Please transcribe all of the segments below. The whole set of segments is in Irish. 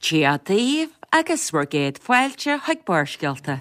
Dia daoibh agus bhur gcéad fáilte chuig Barrscéalta.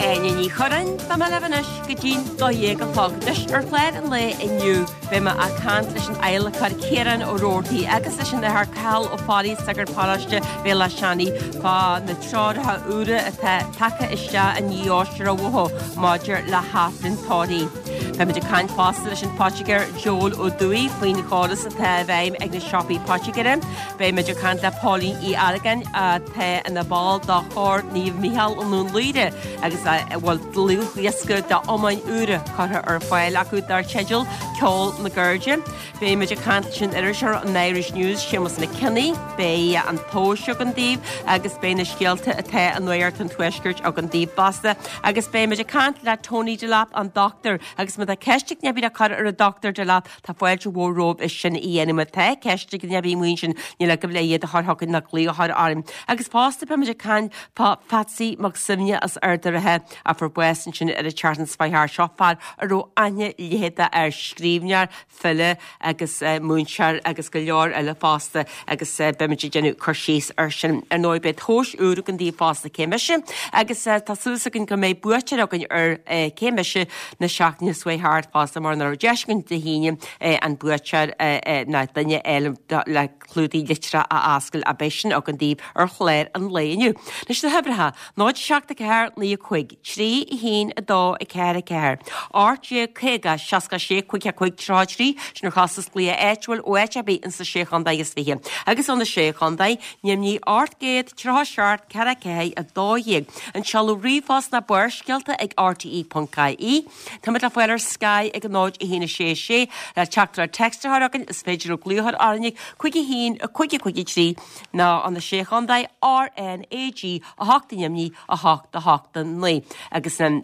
Áine Ní Churráin, beidh mé libh anois go dtí'n 12 a chlog. Anois, ar chlár an lae inniu, beidh mé ag caint leis an adhlacóir Ciarán Ó Rabhartaigh agus leis an Athair Cathal Ó Fearraigh, sagart paróiste Bhéal Átha Seanaidh, fá na treoracha úra atá tagtha isteach i ndiaidh aimsire uathu maidir le hAifreann tórraimh. Beimid ag caint fosta leis an Phoitigéir Joel Ó Dúill faoin chóras atá i bhfeidhm ag na siopaí poitigéara. Beimid ag caint le Póilín Uí Argáin atá ina ball de Chór Naomh Mícheál i nDún Laoghaire agus a bhfuil dlúthdhiosca d'iomáin úra curtha ar fáil acu dar teideal Ceol na gCairde. Beimid ag caint leis an iriseoir an Irish News, Séamus Mac Cionnaith. Beidh an tomhas againn daoibh agus beidh na scéalta atá i Nuacht an Tuaiscirt againn daoibh fosta. Agus beimid ag caint le Tony Delap, an dochtúir. Agus má tá ceist ag duine ar bith le cur ar an Dr Delap, tá fáilte mhór romhaibh é sin a dhéanamh. Má tá ceist ag duine ar bith amuigh ansin, níl agaibh le iad a chur chugainn ná glaoch a chur orainn. Agus fosta beimid ag caint fá Phatsy Mac Suibhne as Ard an Rátha a fuair bás ansin ar an tseachtain seo chuaigh thart. Seo fear a raibh aithne leitheadach air, scríbhneoir, file agus múinteoir agus go leor eile fosta agus beimid ag déanamh cur síos air sin. Ar ndóigh beidh tomhas úr againn daoibh fosta Cé Mise agus tá súil againn go mbeidh buaiteoir againn ar Cé Mise na seachtaine seo chuaigh thart fosta mar nach raibh deis againn Dé hAoine an buaiteoir ná duine eile le clúdaigh litreach a oscailt ach beidh sin againn daoibh ar chlár an lae inniu. Anois na huimhreacha, 0 7 4 9 5 3 1 2 4 4 18 50 66 5 5 33, sin ar chostas glaoch áitiúil ó áit ar bith ins na Sé Chontae is Fiche. Agus ó na Sé Chontae, ainmnigh 837 4 4 12. An seoladh ríomhphost ná barrscéalta ag rte.ie. Táimid le fáil ar Sky ag 0 1 6 6 le teachtaireacht text a chur chugainn is féidir libh glaoch a chur orainn ag 5 1 5 5 3 nó ó na Sé Chontae RnaG 8 ainmnigh 8 8 9 agus an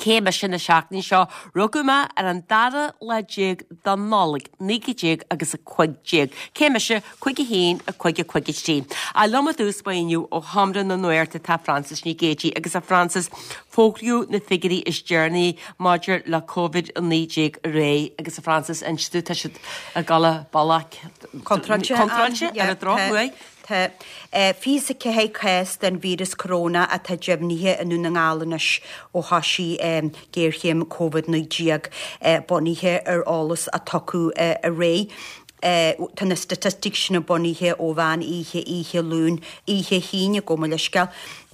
Cé mise na seachtaine seo rugadh mé ar an dara lá déag de Nollaig 19 agus 15. Cé mise 5 1 5 5 3. Ach liom i dtús báire inniu ó Sheomra na Nuachta tá Frances Nic Géadaigh agus a Frances Fógraíodh na figiúirí is deireanaí maidir le Covid-19 aréir agus a Frances, inis domh, tá siad ag dul bealach Contráilte, contráilte ar an drochuair. Tá 24 cás den víreas coróna atá deimhnithe i nDún na nGall anois ó thosaigh géarchéim Covid-19, bunaithe ar eolas a tugadh aréir. Tá na staitisticí sin bunaithe ó mheán oíche oíche Luain, oíche hAoine, gabh mo leithscéal.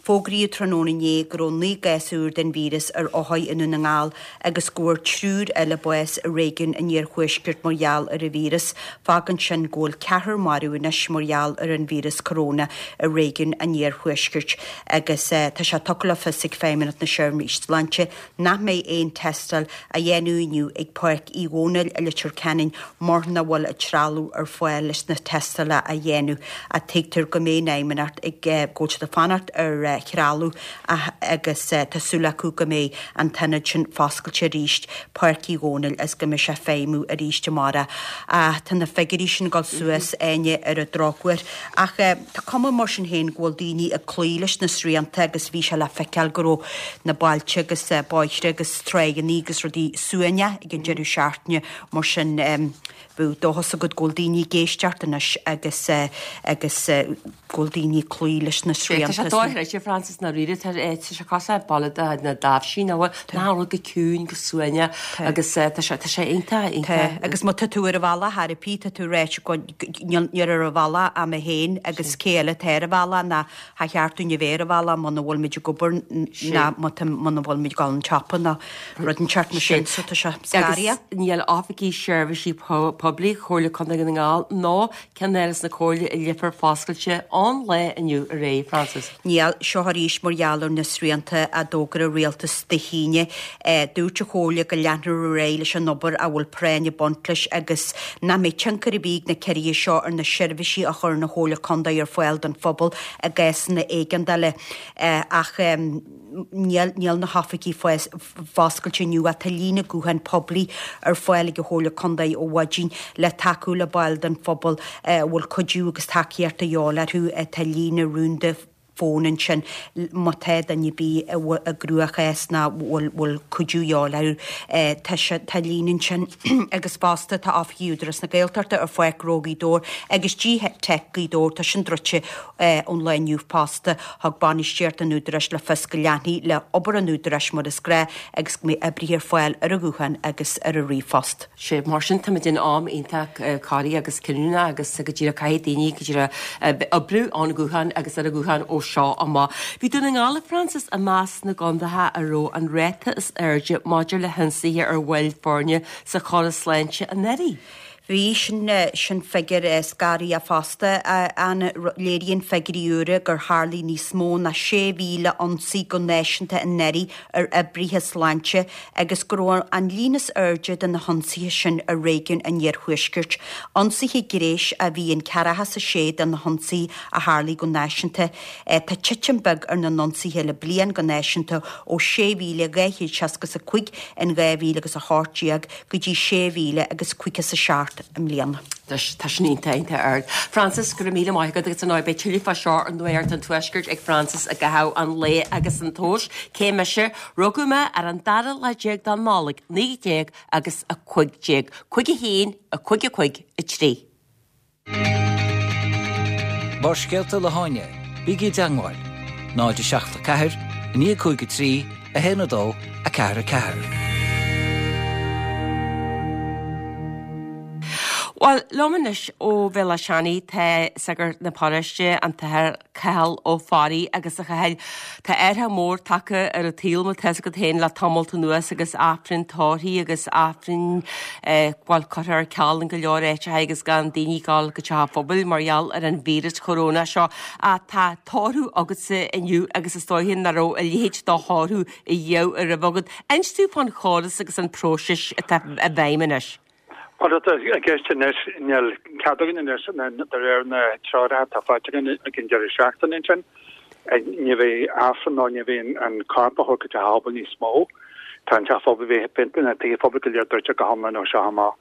Fógraíodh tráthnóna inné go raibh 9 gcás úr den víreas ar othair i nDún na nGall agus go bhfuair triúr eile bás i réigiún an iarthuaiscirt mar gheall ar an víreas. Fágann sin go bhfuil ceathrar marbh anois mar gheall ar an víreas coróna i réigiún an iarthuaiscirt agus tá sé tugtha le fios ag Feidhmeannacht na Seirbhíse Sláinte nach mbeidh aon tástáil á dhéanamh inniu ag Páirc Uí Dhónaill i Leitir Ceanainn mar nach bhfuil an trealamh ar fáil leis na tástálacha a dhéanamh ach tuigtear go mbeidh an Fheidhmeannacht ag go bhfuil siad ag fanacht ar threalamh agus tá súil acu go mbeidh an t-ionad sin foscailte arís, Páirc Uí Dhónaill, agus go mbeidh sé ag feidhmiú arís amárach. Ach tá na figiúirí sin ag dul suas, Áine, ar an drochuair. Ach tá cuma mar sin féin go bhfuil daoine ag cloí leis na srianta agus bhí sé le feiceáil go raibh na bailte agus bóithre agus tráigheanna agus rudaí suaimhneach ag an deireadh seachtaine mar sin bheadh dóchas agat go bhfuil daoine ag éisteacht anois agus agus go bhfuil daoine ag cloí leis na srianta. Tá sé dochreidte Frances ndáiríre tá sé cosúil le baile de na dtaibhsí nach bhfuil nach bhfuil go ciúin go suaimhneach agus tá sé tá sé iontach iontach. Agus má tá tú ar an bhealach ar bith tá tú ráite go níl ar an bhealach ach mé féin agus cé eile atá ar an bhealach ná cha cheart dúinn a bheith ar an bhealach muna bhfuil muid ag obair ná muna bhfuil muid ag dul an tsiopa ná rud inteacht mar sin so tá sé scary. Agus níl oifigí seirbhísí poiblí Chomhairle Contae Dhún na nGall ná ceannáras na Comhairle i Leifear foscailte an lae inniu aréir, Frances. Níl. Seo arís mar gheall ar na srianta a d'fhógair an Rialtas Dé hAoine. Dúirt an Chomhairle go leanfar ar aghaidh leis an obair a bhfuil práinn ag baint leis agus nach mbeidh tionchar ar bith ag na ciorruithe seo ar na seirbhísí a chuireann an Chomhairle Contae ar fáil don phobal i gcásanna éigeandála. Ach níl níl na hoifigí foscailte inniu ach tá líne gutháin poiblí ar fáil ag an Chomhairle Contae ó mhaidin le tacú le baill den phobal a bhfuil cuidiú agus tacaíocht de dhíobháil orthu. Tá líne rúnda fóin ansin má tá duine ar bith i gcruachás nó bhfuil cuidiú de dhíobháil orthu. Tá sé tá líne ansin agus fosta tá oifigí Údarás na Gaeltachta ar Pháirc Ghnó Ghaoth Dobhair agus G-Teic Gaoth Dobhair tá sin druidte ón lá inniu fosta. Thug bainistíocht an Údaráis le fios go leanfaí le obair an Údaráis mar is gnáth agus go mbeidh oibrithe ar fáil ar an ghuthán agus ar an ríomhphost. Sea, mar sin táimid in am iontach corraithe agus cinniúnach agus go díreach caithfidh daoine go díreach oibriú ón ghuthán agus ar an ghuthán ó seo amach. Bhí Dún na nGall, a Frances, i measc na gcontaetha a raibh an ráta is airde maidir le hionsaithe ar bhaill foirne sa chóras sláinte anuraidh. Bhí, sin, sin figiúr scanraitheach fosta, a Anna. Léiríonn figiúirí úra gur tharlaigh níos mó ná 6,000 ionsaí go náisiúnta anuraidh ar oibrithe sláinte agus go raibh an líon is airde de na hionsaithe sin i réigiún an iarthuaiscirt. Ionsaithe gnéis a bhí in ceathracha is a sé de na hionsaithe a tharlaigh go náisiúnta. Tá titim beag ar na n-ionsaithe le bliain go náisiúnta ó 6,265 in 2018 go dtí 6,000 agus 57 i mbliana. Tá sin iontach, iontach ard. Frances, go raibh míle maith agat agus ar ndóigh beidh tuilleadh fá seo ar Nuacht an Tuaiscirt ag Frances i gcaitheamh an lae agus an tomhas. Cé mise? Rugadh mé ar an dara lá déag de Nollaig, 19 agus 15, 5 1, 5 5 3. Barrscéalta le hÁine, bígí i dteangmháil, 0 7 4 9 5 3 1 2 4 4. Bhuel, liom anois ó Bhéal Átha Seanaidh tá sagart na paróiste, an tAthair Cathal Ó Fearraigh agus a Chathail, tá athrú mór tagtha ar an tsaol mar tá fhios agat féin le tamalt anuas agus Aifreann tórraimh agus Aifrinn bhuel, curtha ar ceal in go leor áiteacha agus gan daoine ag dul go teach an phobail mar gheall ar an víreas choróna seo. Ach tá tórramh agatsa inniu agus is dóiche nach raibh a leithéid de thórramh riamh roimhe agat. Inis dúinn fán chóras agus an próiseas atá i bhfeidhm anois. Bhuel, atá i gceist anois, níl cead againn anois de réir na treoracha atá faighte againn ag an deireadh seachtaine ansin. Ní bheidh Aifreann ná ní bheidh an corp á thabhairt go teach an phobail níos mó. Tá an teach phobail, bheidh na tithe phobail go léir druidte go hiomlán ó seo amach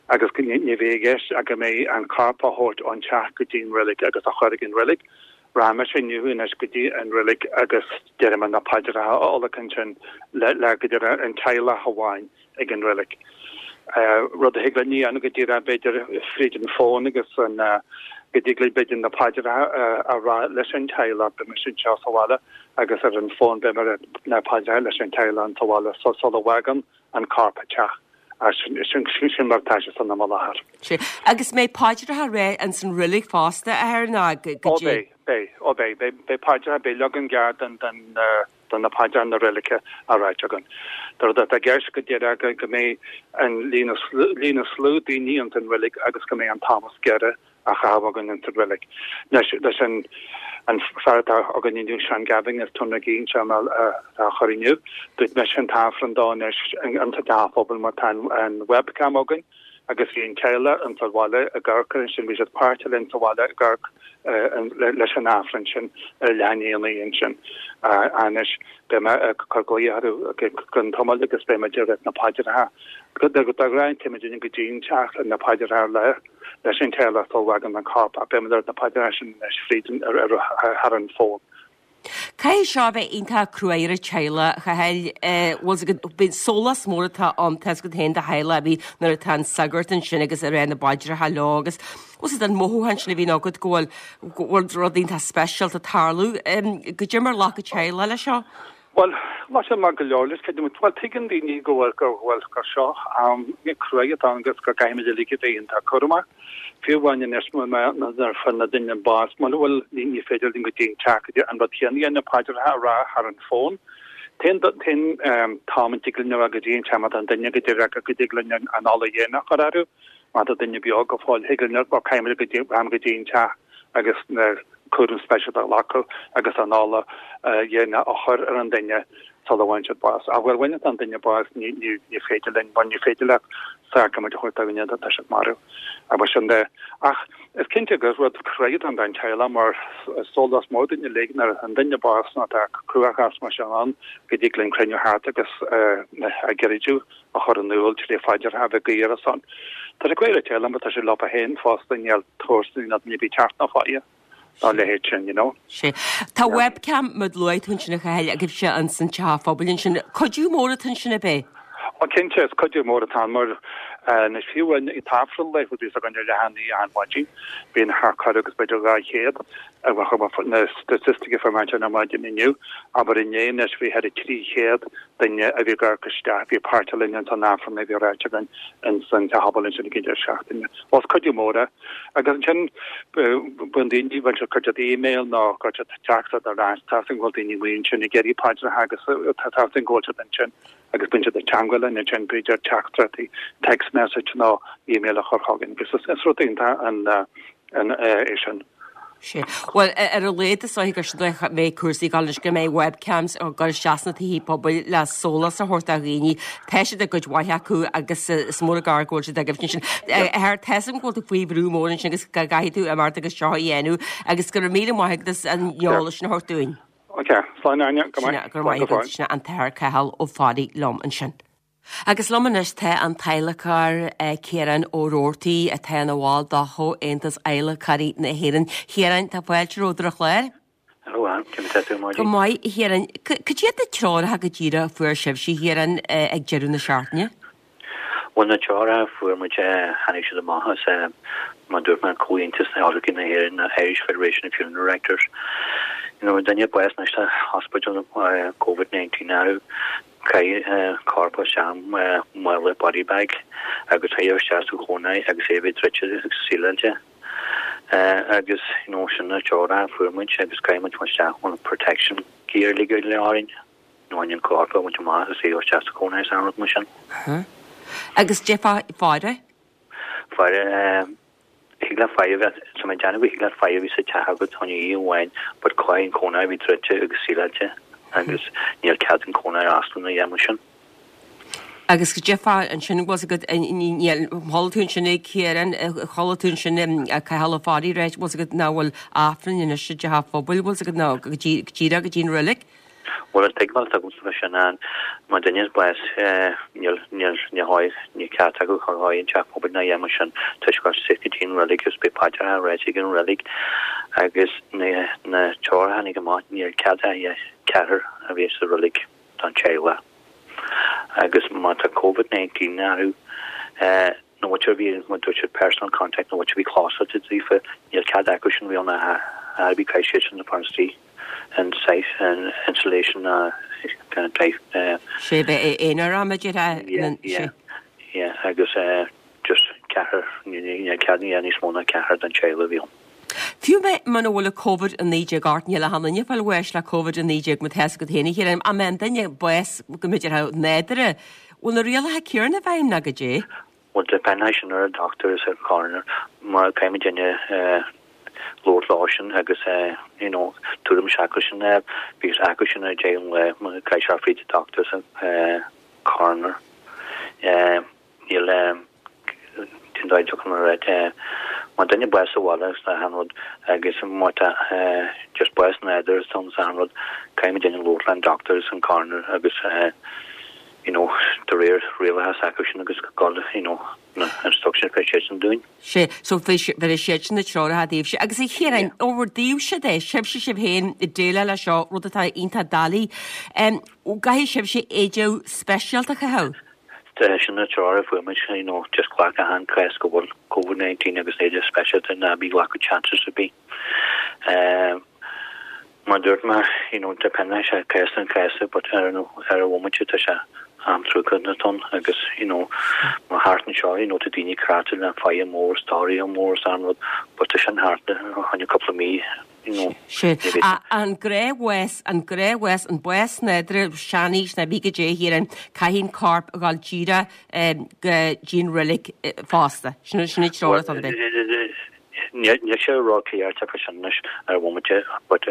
agus ní bheidh i gceist ach go mbeidh an corp á thabhairt ón teach go dtí an reilig agus á chur ag an reilig. Rachaidh mise inniu anois go dtí an reilig agus déarfaidh mé na paidreacha a adhlacadh ansin le go díreach an teaghlach amháin. ag an reilig. Rud a thig linn a dhéanamh go díreach b'fhéidir fríd an fón agus an go dtig linn b'fhéidir na paidreacha a rá leis an teaghlach, beidh mise anseo sa bhaile agus ar an fón beidh mé ag rá na paidreacha leis an teaghlach sa bhaile sula bhfágann an corp an teach. Sin sin mar atá sé san am i láthair. Sea. Agus mbeidh paidreacha á rá ins an reilig fosta, a Athair, nó go Ó beidh, beidh, ó beidh, beidh, beidh paidreacha, beidh leagan gearr den, den, de na paidreacha na reilige á ráit againn. An rud atá i gceist go díreach go mbeidh an líon líon is lú daoine ins an reilig agus go mbeidh an t-am is giorra á chaitheamh againn ins an reilig. Leis leis an an fear atá againn inniu, Seán Gavin as Tóin na Gine, sé atá á chur inniu, dúirt mise an t-aifreann dó anois ins an teach phobail mar tá an webcam againn agus bhí an teaghlach ins an bhaile ag amharc air ansin, bhí siad páirteach linn sa bhaile ag amharc leis an Aifreann sin ar leath i ndiaidh a naoi ansin. Anois beidh mé ag cur glaoch orthu go ceann tamaill agus beidh muid ag rá na paidreacha. De ghnáth téimid go dtí an teach le na paidreacha a rá leis an teaghlach sula bhfágann an corp ach beidh muid ag rá na paidreacha sin anois fríd thar an bhfón. Caithfidh seo a bheith iontach cruaidh ar an teaghlach, a Chathail. Bhfuil 's agat, bíonn sólás mór atá ann, tá 's agat féin do theaghlach a bhí nuair atá an sagart ansin agus ag rá na bpaidreacha leo agus bhfuil 's agat an mothúchán sin a bhíonn agat go bhfuil, go bhfuil rud iontach speisialta ag tarlú. Goidé mar a ghlac an teaghlach leis seo? Bhuel, ghlac siad maith go leor leis, creidim. Bhuel, tuigeann daoine go bhfuil, go bhfuil, gur seo am cruaidh atá ann agus go gcaithfimid uilig a bheith iontach cúramach. Fiú amháin anois nuair a fuair na duine bás, mura bhfuil, ní féidir linn go dtí an teach, go dtí an rud céanna a dhéanamh, paidreacha a rá thar an bhfón. T-aon, t-aon t-am a dtig linn a rá go dtí an teach má tá an duine go díreach go dtig linn an ola dhéanach a chur orthu, má tá duine beo go fóill, thig linn, bhuel, caithfimid go dtí, go dtí an teach agus na. cúram speisialta a ghlacadh agus an ola dhéine a chur ar an duine sula bhfaigheann siad bás. Ach bhuel, bhaineann an duine bás, ní ní féidir linn, bhuel ní féidir leat sacraimint a thabhairt do dhuine tá siad marbh. Agus sin de. Ach is cinnte gur rud crua don don teaghlach mar sólás mór dúinn uilig nuair a fhaigheann duine bás nó tá cruachás mar sin ann go dtig linn cruinniú thart agus a gcreideamh a chur in iúl trí phaidreacha a bheith ag guí ar a son. Tá sé crua ar an teaghlach mar tá sé leofa féin fosta níl comharsana ná duine ar bith teacht ná faire dá leithéid sin, you know. Sea. Tá webcam mar a luaigh tú ansin a Chathail agaibhse ins an teach phobail ansin. Cuidiú mór atá ansin ab é? Ó cinnte, is cuidiú mór atá ann mar anois fiú an t-aifreann laethúil a bhíos againn ar leath i ndiaidh achan mhaidin, bíonn thart corradh agus b'fhéidir 200 na staitisticí a fuair mé ansin ar maidin inniu, abair inné anois bhí thar 300 duine a bhí ag amharc isteach, bhí páirteach linn ins an Aifreann a bhí ráite againn ins an Teach Pobail ansin ag an deireadh seachtaine. Bhuel is cuidiú mór é. Agus ansin bíonn daoine, bhfuil siad cuir siad email nó cuir siad teachtaireacht ar ais, tá 'fhios againn go bhfuil daoine amuigh ansin ag iarraidh paidreacha agus tá 'fhios againn go bhfuil siad ansin agus bíonn siad ag teangmháil linn ansin b'fhéidir teachtaireachtaí, text message nó email a chur chugainn agus is rud iontach an é sin. Sea. Bhuel, ar a laghad is dóiche gur sin dóigh a mbeidh cúrsaí ag dul anois go mbeidh webcams á gcur isteach sna tithe pobail le sólás a thabhairt do dhaoine. Tá siad ag cuid mhaith acu agus is mór an gar go bhfuil siad agaibh ansin. A Athair, tá 'fhios agam go bhfuil tú faoi bhrú mór ansin agus go gcaithfidh tú imeacht agus seo a dhéanamh agus go raibh míle maith agat as an eolas sin a thabhairt dúinn. Ok, slán Áine, go maith. Go raibh maith agat. Sin an tAthair Cathal Ó Fearraigh liom ansin. Agus liom anois tá an t-adhlacóir Ciarán Ó Roarty atá ina bhall de Chomhaontas Adhlacóirí na hÉireann. Chiaráin, tá fáilte romhat ar an chlár. Hello Ann, cén chaoi atá tú ar maidin? Go maith, a Chiaráin. Cad iad na treoracha go díreach a fuair sibhse, a Chiaráin, ag deireadh na seachtaine? Bhuel, na treoracha a fuair muid, tháinig siad amach as, mar a dúirt mé, Comhaontas na Adhlacóirí na hÉireann, Irish Federation of Funeral Directors. You know, duine bás anois sa hospital Covid-19 orthu. Caith corp isteach i mála body bag agus chuir isteach sa chónra agus é a bheith druidte agus síleáilte. Agus you know sin na treoracha a fuair muid agus caithfidh muid isteach an protection gear uilig go léir orainn you know an corp a bhaint amach agus é isteach sa chónra is an rud mar sin. Agus cad é fá faire? Faire Thig leat faire a bheith, tá mé ag déanamh go thig leat faire a bheith sa teach agat chun oíche amháin but caithfidh an cónra a bheith druidte agus síleáilte agus níl cead an cónra a oscailt nó a dhath mar sin. Agus cad é fá ansin bhfuil 's agat níl chuala tú ansin ag Ciarán chuala tú ansin Cathal Ó Fearraigh ráit bhfuil 's agat nach bhfuil Aifreann anois i dteach an phobail bhfuil 's agat nó go díreach go dtí an reilig. Bhuel, an tuigbheáil atá agamsa fá sin ná má duine is bás níl, níl, ní dhóigh, ní ceart acu chur dhóigh an teach pobail ná a dhath mar sin toisc gur sick go dtí an reilig agus beidh paidreacha á ráite ag an reilig agus na, na treoracha a tháinig amach níl cead ach ceathrar a bheith sa reilig don teaghlach agus má tá Covid 19 orthu na muintir a bhí, mar dúirt siad personal contact, na muintir a bhí clósáilte daofa níl cead acu sin bheith ann a bhí caithfidh siad sin a fán istigh. an saghas an insulation ná kind of type. Sé bheith aonair am a deir Yeah, yeah, yeah, agus just ceathrar, níl cead ní níos mó ná ceathrar den teaghlach a bhí ann. Fiú muna bhfuil Covid-19 ort, níl ach aon duine ag fáil bháis le Covid-19 má tá 'fhios agat féin a Chiaráin, ach má an duine bás go mb'fhéidir nádúrtha, bhfuil na rialacha céanna i bhfeidhm ná goidé? Bhuel depend sin ar an doctor is ar coroner mar caithfidh muid duine labhairt leo sin agus you know tuairim s'acu sin a fháil because acu sin a deir an lá mar caithfidh sé fríd an doctor is an coroner. Níl cén dóigh a dtiocfaidh mé ar má duine bás sa bhaile agus achan rud agus má tá just bás nádúrtha is ann is achan rud caithfidh muid duine labhairt le an doctor is an coroner agus you know, de réir rialacha s'acu sin agus go you know, na instructions bheidh siad sin dúinn. Sea, so bheir siad sin na treoracha daoibhse. Agus a Chiaráin, ó bhur dtaobhse de, sibhse sibh féin ag déileáil leis seo, rud atá iontach doiligh, an gcaithfidh sibhse éide speisialta a chaitheamh? Sin na treoracha a fuair muid, you know, just glac achan cás go bhfuil Covid-19 agus éide speisialta ná bí ag glacadh chances ar bith. Mar dúirt mé, you know, depend sé cás an cás but ar an ar an bhomaite tá sé am truacánta ann agus you know mar thart anseo you know tá daoine cráite le faire mór is tórramh mór is an rud but tá sin thart tháinig cúpla mí you know. Sea. An gnáthbhás, an gnáthbhás, an bás nádúrtha, seanaois ná bí goidé a Chiaráin, caithfidh an corp a dhul díreach go dtí an reilig fosta. Sin sin an treoir atá ann. Níl sé ró-chliar fá sin anois ar an bhomaite but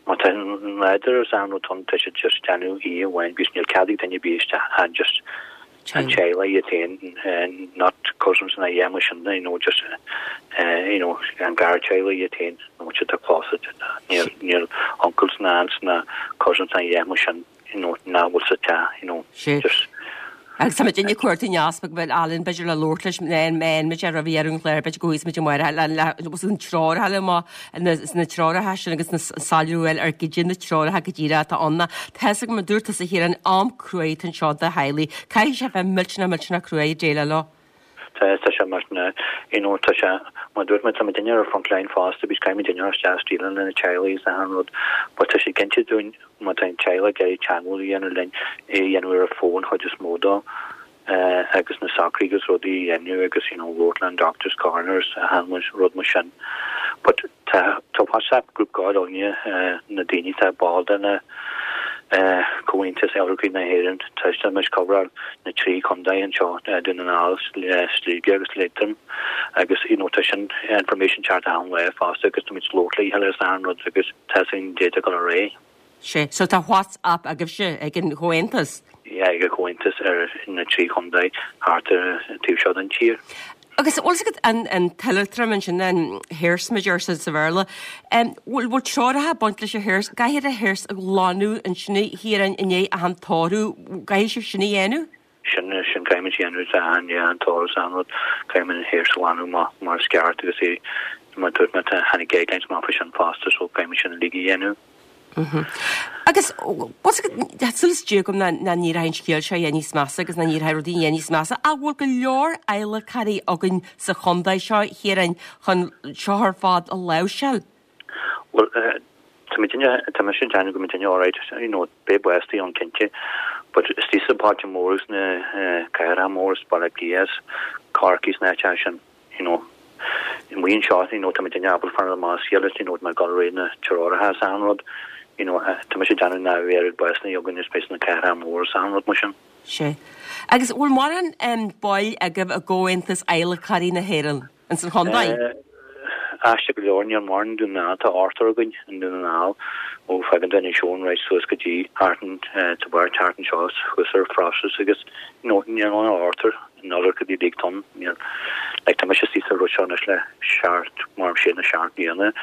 má tá nádúr is ann rud ann tá siad just déanamh oíche amháin because níl cead ag duine ar bith isteach ach just an teaghlach iad féin not cousins ná a dhath mar sin you know just you know an gar teaghlach iad féin nó siad tá close níl níl uncles ná aunts ná cousins ná a dhath mar sin you know, nach bhfuil sa teach, you know, Sé. just. Agus tá muid ag cuartú an easpaig bhfuil Alan b'fhéidir le labhairt leis mé an muid ar roimh dheireadh an chláir b'fhéidir go bhfaighidh muid amárach le le agus an treoracha amach na na treoracha sin agus na soiléiriú a fháil ar goidé na treoracha go díreach atá ann. Tá fhios agam a dúirt tusa a Chiaráin am cruaidh atá anseo do theaghlaigh. Caithfidh sé bheith millteanach millteanach cruaidh ag déileáil leo. Tá, tá sé mar na, you know, tá sé, mar dúirt mé, tá muidinne ar front line fosta, because caithfidh muidinne isteach is déileáil le na teaghlaigh is achan rud, but tá sé cinnte dúinn, má tá an teaghlach ag iarraidh teagmháil a dhéanamh linn, é a dhéanamh ar an phone chuid is mó dó, eh, agus na socruithe agus rudaí a dhéanamh agus, you know, labhairt le an doctors, coroners, achan rud mar sin. But Tá tá WhatsApp group go againne na daoine atá ball de na Comhaontas Adhlacóirí na hÉireann. Tá tá muid coveráil na 3 chontae anseo, Dún na nGall, Sligeach agus Liatroim agus you know tá sin information teacht achan lá fosta agus tá muid ag labhairt le chéile is achan rud agus tá sin déanta go ar aghaidh. Sea. So tá WhatsApp agaibhse ag an Chomhaontas? Yeah, ag an Chomhaontas ar na 3 chontae thart ar an taobh seo den tír. Agus bhfuil fhios agat an an t-adhlacadh ansin, an hearse mar a deir siad sa Bhéarla, bhfuil bhfuil treoracha ag baint leis an hearse, caithfidh an hearse a ghlanadh ansin a Chiaráin i ndiaidh achan tórramh, caithfidh sibh sin a dhéanamh? Sin sin caithfidh muid a dhéanamh tá an yeah an tórramh is an rud, caithfidh muid an hearse a ghlanadh mar mar is ceart agus é mar dúirt mé tá tháinig guidelines amach faoi sin fosta so caithfidh muid sin uilig a dhéanamh. Agus tá súil is Dé agam nach n-éireoidh an scéal seo a dhath níos measa agus nach n-éireoidh rudaí a dhath níos measa. Ach bhfuil go leor adhlacóirí againn sa chontae seo, a Chiaráin, chun seo ar fad a láimhseáil? Bhuel, tá muidinne, tá mise ag déanamh go bhfuil muidinne alright, you know, beidh bástaí ann cinnte, but istigh sna bailte móra is na cathracha móra is Baile Átha Cliath is Corcaigh is na háiteacha sin, you know, amuigh anseo, you know, tá muidinne ábalta fanacht amach as a chéile, you know, mar gheall ar na treoracha is achan rud, you know, tá mise ag déanamh nach bheidh oiread básanna againn is beidh sna cathracha móra is achan rud mar sin. Sea. Agus bhfuil mórán baill agaibh i gComhaontas Adhlacóirí na hÉireann ins an chontae? Aisteach go leor, níl mórán i nDún na nGall, tá ochtar againn i nDún na nGall, ó fágann tú Inis Eoghain right suas go dtí thart an, tá beirt thart anseo thuas ar Frosses agus, you know, níl ann ach ochtar. An oiread go dtí Big Tom, níl, like tá mise istigh sa rud seo anois le seacht, mar sé nó seacht mbliana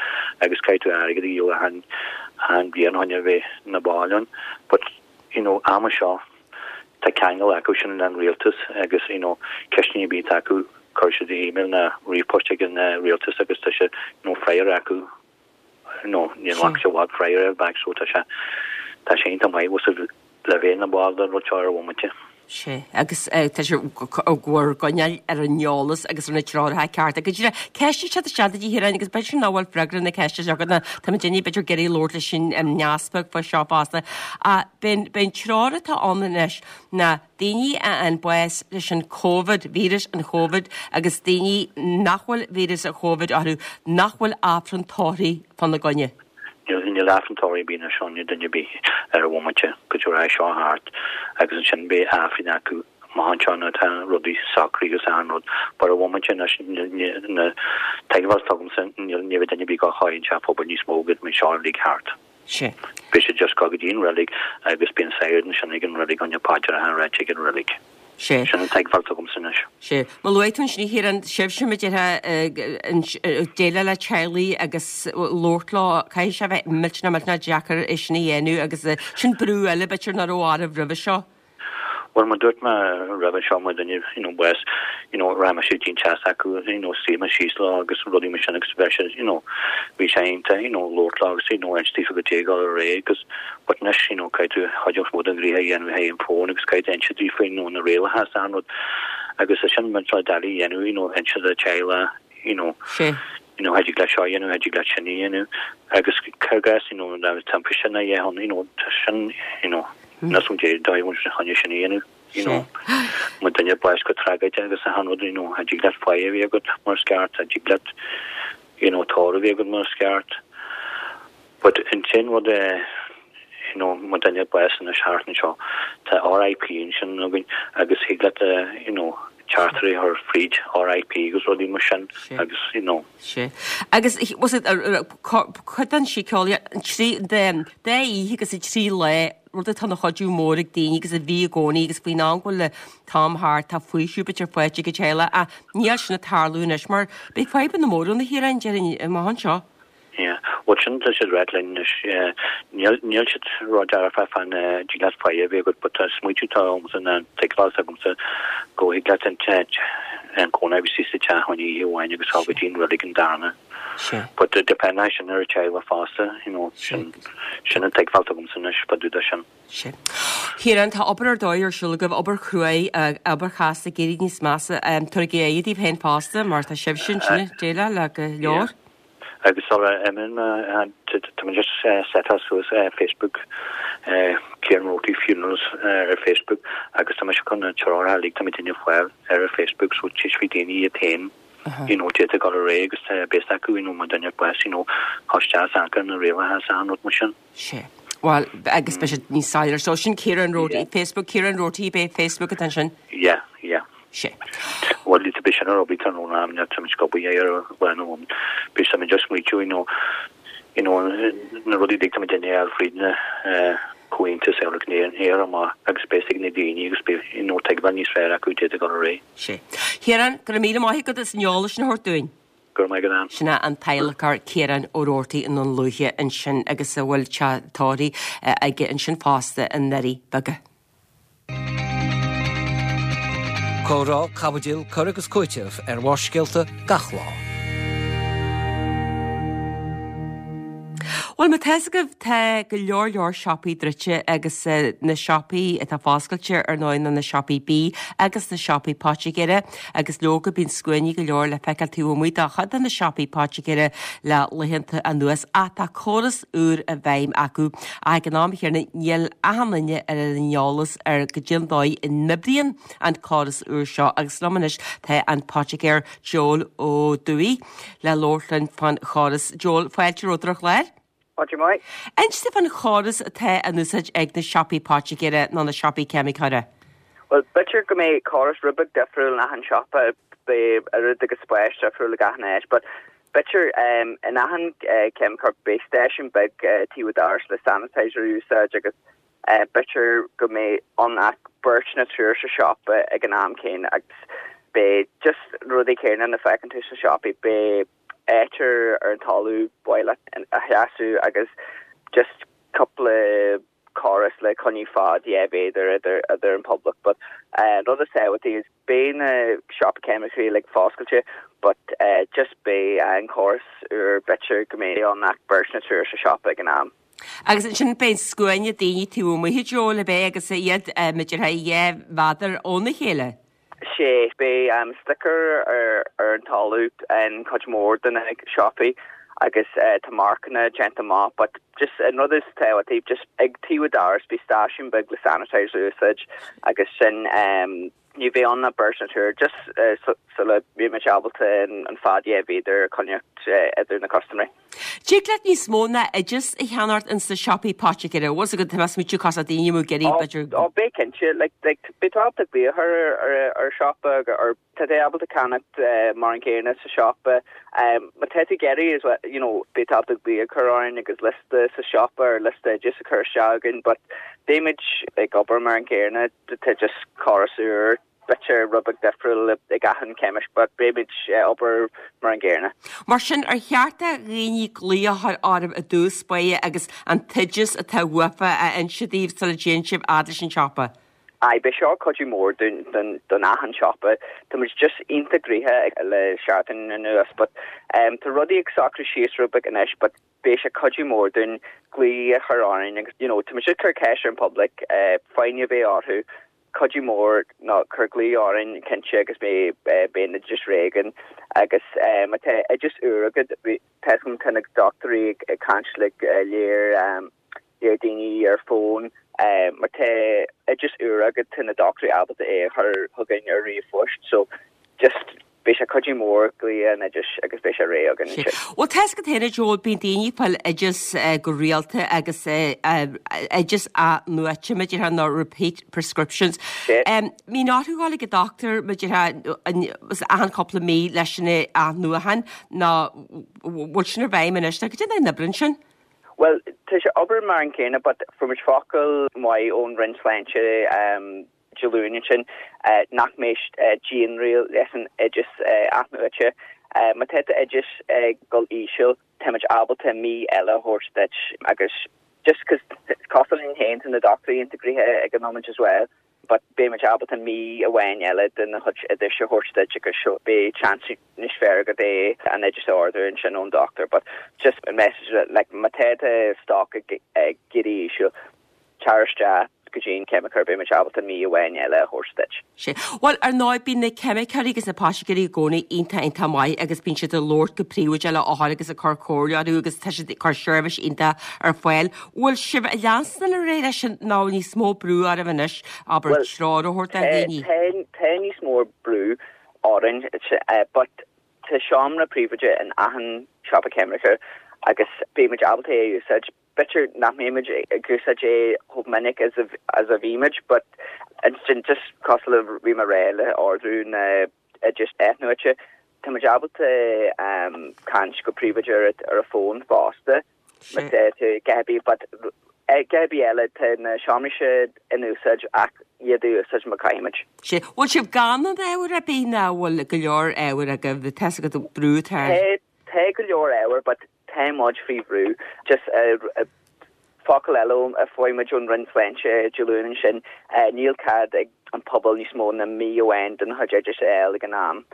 agus caithfidh tú airgead a dhíol achan, achan bhliain chun a bheith ina ball ann. But, you know, ama seo, tá ceangal acu sin le an rialtas agus, you know, ceisteanna ar bith atá acu, cuirfidh siad email ná ríomhphost ag an rialtas agus tá sé, you know, freagra acu nó ní bhfaca sé i bhfad freagra back so tá sé tá sé iontach maith bhfuil le bheith ina bhall den rud seo ar an bhomaite. Sea, agus tá sé ag bhur gcoinneáil ar an eolas agus ar na treoracha cearta. Go díreach, ceist ag teacht isteach duit a Chiaráin agus b'fhéidir nach bhfuil freagra na ceiste seo agat ná tá muid inniu b'fhéidir ag iarraidh labhairt leis an easpag faoi seo fosta. Ach b'in b'in treoir atá ann anois ná daoine a fhaigheann bás leis an Covid, víreas an Chóivid, agus daoine nach bhfuil víreas an Chóivid orthu, nach bhfuil Aifreann tórraimh fána gcoinne. Níl, níl Aifreann tórraimh ar bith anois ann do dhuine ar bith ar an bhomaite go dtí raghaidh seo thart agus ansin beidh Aifreann acu amach anseo nuair atá rudaí socraithe agus achan rud. But ar an bhomaite anois, na teagmháil atá agamsa, níl, ní bheidh duine ar bith ag gabháil chuig an teach pobail níos mó go mbeidh seo uilig thart. Sea. Beidh siad just ag gabháil go dtí an reilig agus bíonn sagart ansin ag an reilig chun na paidreacha a ráit ag an reilig. Sea. Sin an teagmháil atá agamsa anois. Sea. Mar luaigh tú ansin a Chiaráin, sibhse mar a déarfá ag déileáil le teaghlaigh agus labhairt leo, caithfidh sé a bheith millteanach millteanach deacair é sin a dhéanamh agus sin brú eile b'fhéidir nach raibh oraibh roimhe seo. Bhuel, mar dúirt mé roimhe seo, má duine, you know, bás, you know, rachaidh mise go dtí an teach acu, you know, suífidh mé síos leo agus rudaí mar sin agus bheadh sé, you know, bhí sé iontach, you know, labhairt leo agus, you know, inse daofa goidé ag dul ar aghaidh agus, but anois, you know, caithfidh tú chuid is mó den ghnoithe a dhéanamh thé an phone agus caithfidh tú inse daofa, you know, na rialacha is an rud agus é sin muid le doiligh a dhéanamh, you know, inse do teaghlach, you know, Sea. you know, thig leat seo a dhéanamh, thig leat sin a dhéanamh agus cur gas, you know, na timpiste na dhéanamh, you know, sin, you know, Níl san dé dóigh bhfuil sé chun é sin a dhéanamh, you know. Má duine bás go tragóideach agus achan rud, you know, thig leat faire a bheith agat mar is ceart, thig leat, you know, tórramh a bheith agat mar is ceart. But an t-aon rud é, you know, má duine bás anois thart anseo, tá RIP ansin againn agus thig leat, you know, teachtaireacht a chur fríd RIP agus rudaí mar sin agus you know. Sea. Agus was it cuid den síceolaíocht an trí den dá oíche agus an trí lá rud atá ina chuidiú mór ag daoine agus a bhí i gcónaí agus faoin am go bhfuil an t-am thart tá faoiseamh b'fhéidir faighte ag an teaghlach ach níl sin ag tarlú anois mar beidh fadhbanna móra ann a Chiaráin déarfainn amach anseo. Yeah. Bhuel sin tá siad ráit linn anois. Níl níl siad ró-dearfach fán dtig leat foighid a bheith agat but tá smaoitiú atá agamsa ná an tuigbheáil atá agamsa go thig leat an an cónaí a bheith sa teach chun oíche amháin agus dul go dtí an reilig an darna. Sea. But depend é sin ar an teaghlach fosta, you know, sin sin an tuigbheáil atá agamsa anois fá dtaobh de sin. Sea. Ciarán, tá obair ar dóigh ar siúl agaibh, obair chruaidh, obair chasta ag éirí níos measa. Tabhair aire daoibh féin fosta mar tá sibhse ansin ag déileáil le go leor. Agus sula n-imíonn mé, tá mé just setáil suas Facebook, Ciarán Roarty Funerals ar Facebook agus tá mise chun na treoracha uilig tá mé ag déanamh fáil ar an Facebook so tíosfaidh daoine iad féin you know d'fhéadfadh dul ar aghaidh agus beidh a fhios acu you know má duine bás you know isteach is anca na rialacha is achan rud mar sin. Sea. Bhuel, agus beidh siad níos soiléire. So sin Ciarán Roarty, Facebook, Ciarán Roarty, b'é Facebook atá ansin? Yeah, yeah. Sea. Bhuel, tá beidh sin ar obair tráthnóna am tá muid ag obair ar lá nó am. Beidh muid just smaoitiú, you know, you know, na rudaí uilig tá muid ag déanamh fríd na comhaontas Eabhrac na hÉireann amach agus beidh ag na daoine agus beidh, you know, tuigbheáil níos fearr acu d'fhéadfadh dul ar aghaidh. Sea. Ciarán, go raibh míle maith agat as an eolas sin a thabhairt dúinn. Go raibh maith agat Ann. Sin é an t-adhlacóir Ciarán Ó Roarty i nDún Lúiche ansin agus a bhfuil teach tórraimh aige ansin fosta i nDoirí Beaga. Comhrá, caibidil, cur agus cúiteamh ar Bharrscéalta gach lá. Bhuel, má tá fhios agaibh, tá go leor leor siopaí druidte agus na siopaí atá foscailte ar ndóigh ná na siopaí bídh agus na siopaí poitigéara agus leoga bíonn scuainí go leor le feiceáil taobh amuigh de chuid de na siopaí poitigéara le laethanta anuas ach tá córas úr i bhfeidhm acu ach ag an am chéanna níl achan duine ar an eolas ar goidé an dóigh a n-oibríonn an córas úr seo agus liom anois tá an poitigéir Joel Ó Dubhthaigh le labhairt linn fán chóras. Joel, fáilte romhat ar an chlár. Fáilte mhaith. Inis domh fán chóras atá in úsáid ag na siopaí poitigéara nó na siopaí ceimiceora. Bhuel, b'fhéidir go mbeidh córas rud beag difriúil in achan siopa, beidh oiread agus spáis difriúil ag achan áit, but b'fhéidir in achan ceimiceoir beidh stáisiún beag taobh an dorais le sanitizer a úsáid agus b'fhéidir go mbeidh ann ach beirt nó triúr sa siopa ag an am céanna agus beidh just rudaí céanna na feiceann tú sna siopaí, beidh áit ar an talamh ba mhaith leat a sheasamh agus just cúpla córas le coinneáil fad 2 mhéadar idir idir an public but rud is tábhachtaí is beidh na siopaí ceimiceoirí uilig foscailte but just beidh an córas úr b'fhéidir go mbeidh ann ach beirt nó triúr sa siopa ag an am. Agus ansin beidh scuaine daoine taobh amuigh a Joel ab é agus iad b'fhéidir 2 mhéadar óna chéile? Sea, beidh sticker ar an talamh in cuid mhór de na siopaí agus tá marcanna déanta amach but just an rud is tábhachtaí just ag taobh an dorais beidh stáisiún beag le sanitizer a úsáid agus sin ní bheidh ann ach beirt nó triúr just sula mbeidh muid ábalta an fad 2 mhéadar a choinneáil idir na custaiméirí. Tig leat níos mó ná oideas a cheannacht ins na siopaí poitigéara. Bhfuil fhios agat, tá mé ag smaoitiú cás daoine amuigh ag iarraidh b'fhéidir. Ó, beidh cinnte. Like, like, beidh tú ábalta glaoch ar, ar, ar siopa or tá tú ábalta ceannacht mar an gcéanna sa siopa. Má tá tú ag iarraidh as well, you know, beidh tú ábalta glaoch a chur orainn agus liosta sa siopa or liosta oideas a chur isteach againn but beimid ag obair mar an gcéanna, tá just córas úr. b'fhéidir rud beag difriúil ag achan ceimist but beimid ag obair mar an gcéanna. Mar sin, ar cheart do dhaoine glaoch a chur oraibh i dtús báire agus an t-oideas atá uafa a inse daoibh sula dtéann sibh fhad leis an siopa? Aye, beidh seo cuidiú mór dúinn, don, don achan siopa. Tá muid just iontach gnoitheach le seachtain anuas but tá rudaí ag socrú síos rud beag anois but beidh sé cuidiú mór dúinn glaoch a chur orainn agus you know tá muid ag cur ceist ar an public foighne a bheith orthu cuidiú mór ná cur glaoch orainn cinnte agus beidh beidh an oideas réidh againn agus má tá oideas úr agat tá fhios agam tá na dochtúirí ag caint le léir léir daoine ar fón má tá oideas úr agat tá na dochtúirí ábalta é a chur chugainn ar ríomhphost so just beidh sé cuidiú. cuidiú mór glaoch an oidis agus beidh sé réidh againn ansin. Bhuel, tá 'fhios agat féin a Joel, bíonn daoine ag fáil oideas go rialta agus oideas athnuaite, mar a déarfá, nó repeat prescriptions. Mbíonn orthu dhul ag an dochtúir, mar a déarfá, achan cúpla mí leis an athnuachan nó bhfuil sin i bhfeidhm anois nó cad é an oibreann sin? Bhuel, tá sé obair mar an céanna but fuair muid focal maith ón Roinn Sláinte Dé Luain ansin nach mbeidh dianriail leis an oideas athnuaite. Má tá d'oideas ag dul íseal, táimid ábalta mí eile a thabhairt duit agus just cos cosúil linn féin tá na dochtúirí iontach gnoitheach ag an nóiméad as well but beimid ábalta mí amháin eile de do chuid oidis a thabhairt duit agus so beidh chance níos fearr agat é an oideas a ordú ansin ón dochtúir but just an message like má tá do stoc ag éirí íseal Tar isteach go dtí an ceimiceoir, beidh muid ábalta mí amháin eile a thabhairt duit. Sea. Bhuel, ar ndóigh, bíonn na ceimiceoirí agus na poitigéirí i gcónaí iontach, iontach maith agus bíonn siad ag labhairt go príobháideach le othair agus ag cur comhairle orthu agus tá siad ag cur seirbhís iontach ar fáil. Bhfuil sibh ag leanstan ar aghaidh leis sin nó níos mó brú oraibh anois, abair, treoir a thabhairt do dhaoine? Tá, tá níos mó brú orainn, but tá seomra príobháideach in achan siopa ceimiceoir agus beidh muid ábalta é a úsáid. B'fhéidir nach mbeimid ag úsáid é chomh minic as a bhímid but ansin just cosúil le bhí mé a rá le ordú na oideas athnuaite, tá muid ábalta caint go príobháideach ar an bhfón fosta má tá tú a dhath ar bith but a dhath ar bith eile tá na seomraí seo in úsáid ach iad a úsáid má caithfimid. Sea, bhfuil sibh gann ar ábhar ar bith nó bhfuil go leor ábhair agaibh, tá 'fhios agat brú atá ar. Tá go leor ábhair but Tá muid faoi bhrú. Just focal eile a fuair muid ón Roinn Sláinte Dé Luain ansin, níl cead ag an pobal níos mó ná mí amháin den chuid oideas a fháil ag an am.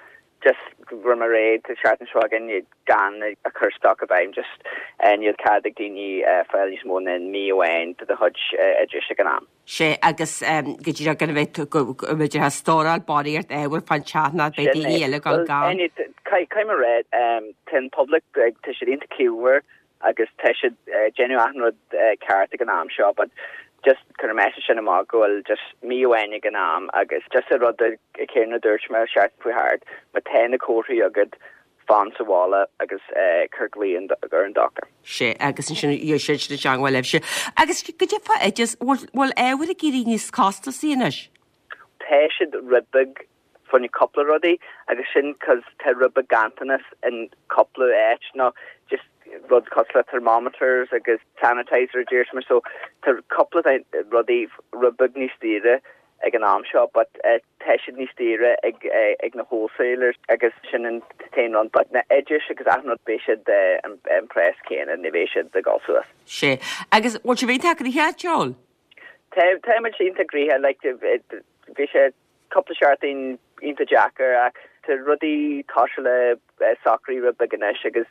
Just go raibh mé réidh, tá seachtain seo againn gan a chur stoc i bhfeidhm, just níl cead ag daoine fáil níos mó ná mí amháin de do chuid oideas ag an am. Sea, agus go díreach gan a bheith, go mb'fhéidir ag stóráil barraíocht ábhair fán teach ná beidh daoine eile ag dul gann. Caithfidh mé a rá, tá an public, tá siad iontach ciallmhar agus tá siad ag déanamh achan rud ceart ag an am seo but just cuir an message sin amach go bhfuil just mí amháin ag an am agus just an rud céanna a dúirt mé seachtain chuaigh thart, má tá na comharthaí agat, fan sa bhaile agus cuir glao ar an dochtúir. Sea, agus ansin gheobhaidh siad i dteangmháil libhse. Agus goidé fá oideas, bhfuil ábhar ag éirí níos costasaí anois? Tá siad rud beag fá choinne cúpla rudaí agus sin cos tá rud beag ganntanas in cúpla áit nó just rud cosúil le thermometers agus sanitizer a dúirt mé so tá cúpla rudaí rud beag níos daoire ag an am seo but tá siad níos daoire ag ag na wholesalers agus sin an t-aon rud but na oidis agus achan rud beidh siad an praghas céanna ní bheidh siad ag dul suas. Sea. Agus bhfuil sibh iontach gnoitheach, Joel? Tá tá muid iontach gnoitheach like bhí sé cúpla seachtain iontach deacair ach tá rudaí tosaithe le socrú rud beag anois agus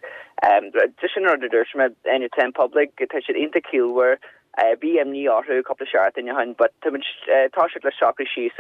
just sin an rud a dúirt mé tá an public tá siad iontach ciallmhar Bhí imní orthu cúpla seachtain ó shin but tá muid tosaithe le socrú síos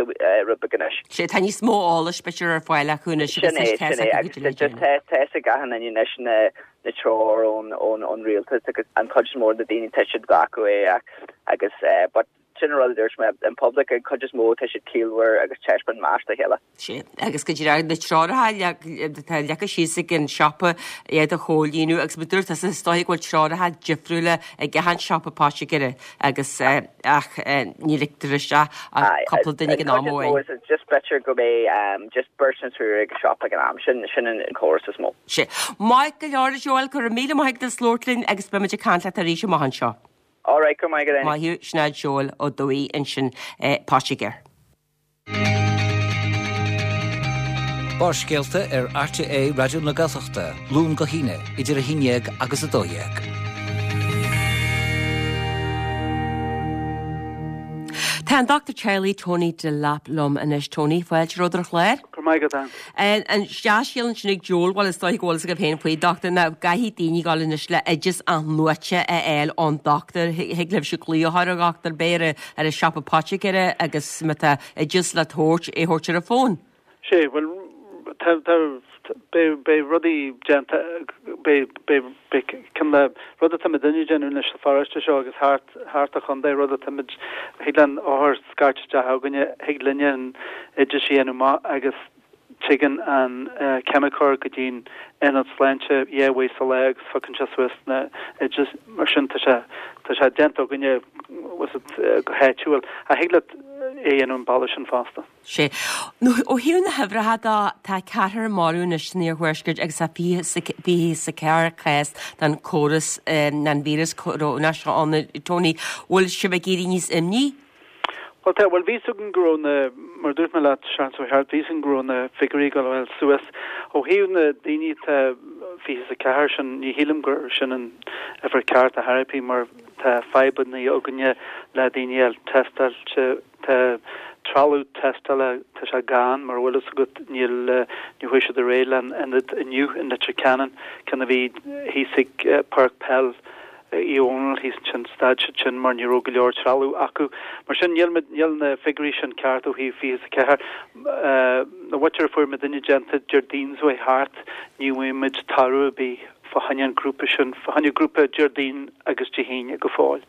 rud beag anois. Sea, tá níos mó eolais b'fhéidir ar fáil acu anois agus tá a fhios acu goidé le déanamh. Tá a fhios ag achan duine anois na na treoir ón ón rialtas agus an chuid is mó de na daoine tá siad glacadh é agus but sin an rud a dúirt mé, an public an chuid is mó tá siad ciallmhar agus taispeáin meas dá chéile. Sea, agus go díreach na treoracha atá leagtha síos ag an siopa iad a chomhlíonadh agus mar a dúirt tusa is dóigh go bhfuil treoracha difriúla ag achan siopa poitigéara agus ach ní ligtear isteach ach cúpla duine ag an am amháin. Just b'fhéidir go mbeidh just beirt nó triúr ag an siopa ag an am, sin sin an córas is mó. Sea. Maith go leor a Joel, go raibh míle maith agat as labhairt linn agus beimid ag caint leat arís amach anseo. Alright, go raibh maith agat. Maith thú, sin é Joel Ó Dubhthaigh ansin, poitigéir. Barrscéalta ar RTÉ Raidió na Gaeltachta, Luan go hAoine, idir 11 agus 12. Tá an Dochtúir Teaghlaigh Tony Delap liom anois. Tony, fáilte romhat ar an chlár. Go raibh maith agat, Ann. An dea-scéal ansin ag Joel, bhuel is dóigh go bhfuil fhios agaibh féin faoi, dochtúir, ná gcaithfidh daoine dul anois le oideas athnuaite a fháil ón dochtúir. Thig libhse glaoch a chur ar dhochtúir b'fhéidir ar an siopa poitigéara agus má tá oideas le tabhairt, é a thabhairt ar an bhfón. Sea, bhuel, tá, tá, beidh, beidh rudaí déanta, beidh, beidh, beidh, cineál de rud atá muidinne ag déanamh anois sa pharóiste seo agus thart, thart an chontae, rud atá muid, thig le an othar scairt isteach chugainne, thig linne an oideas a dhéanamh amach agus. Tigeann an ceimiceoir go dtí'n aonad sláinte dhá uair sa lá agus phiocann sé suas na oidis. Mar sin tá sé, tá sé déanta againne go háitiúil. Ach thig leat é a dhéanamh an bealach sin fosta. Sea. Nó ó thaobh na huimhreacha de, tá ceathrar marbh anois san iarthuaisceart agus tá 24 cás den chóras, den víreas corónach seo ann, Tony. Bhfuil sibh ag éirí níos imní? Bhuel tá, bhuel bhí 'fhios againn go raibh na, mar a dúirt mé leat seachtain seo thart, bhí 'fhios againn go raibh na figiúirí ag gabháil suas. Ó thaobh na daoine atá 24 sin, ní shílim gur sin an uimhir ceart ar chor ar bith mar tá fadhbanna againne le daoine a fháil tástáilte, Tá trealamh tástála, tá sé gann, mar a bhfuil fhios agat, níl, níor chuaigh siad ar aghaidh leis an ionad inniu in Leitir Ceanainn, ceann a bhí thíos ag Páirc Peil Uí Dhónaill thíos ansin, stad siad sin mar ní raibh go leor trealamh acu. Mar sin, níl, níl na figiúirí sin ceart ó thaobh 24. Na mhuintir a fuair muidinne déanta Déardaoin seo thart, ní bhfuair muid toradh ar bith fá choinne an grúpa sin, fá choinne grúpa Déardaoin agus Dé hAoine go fóill.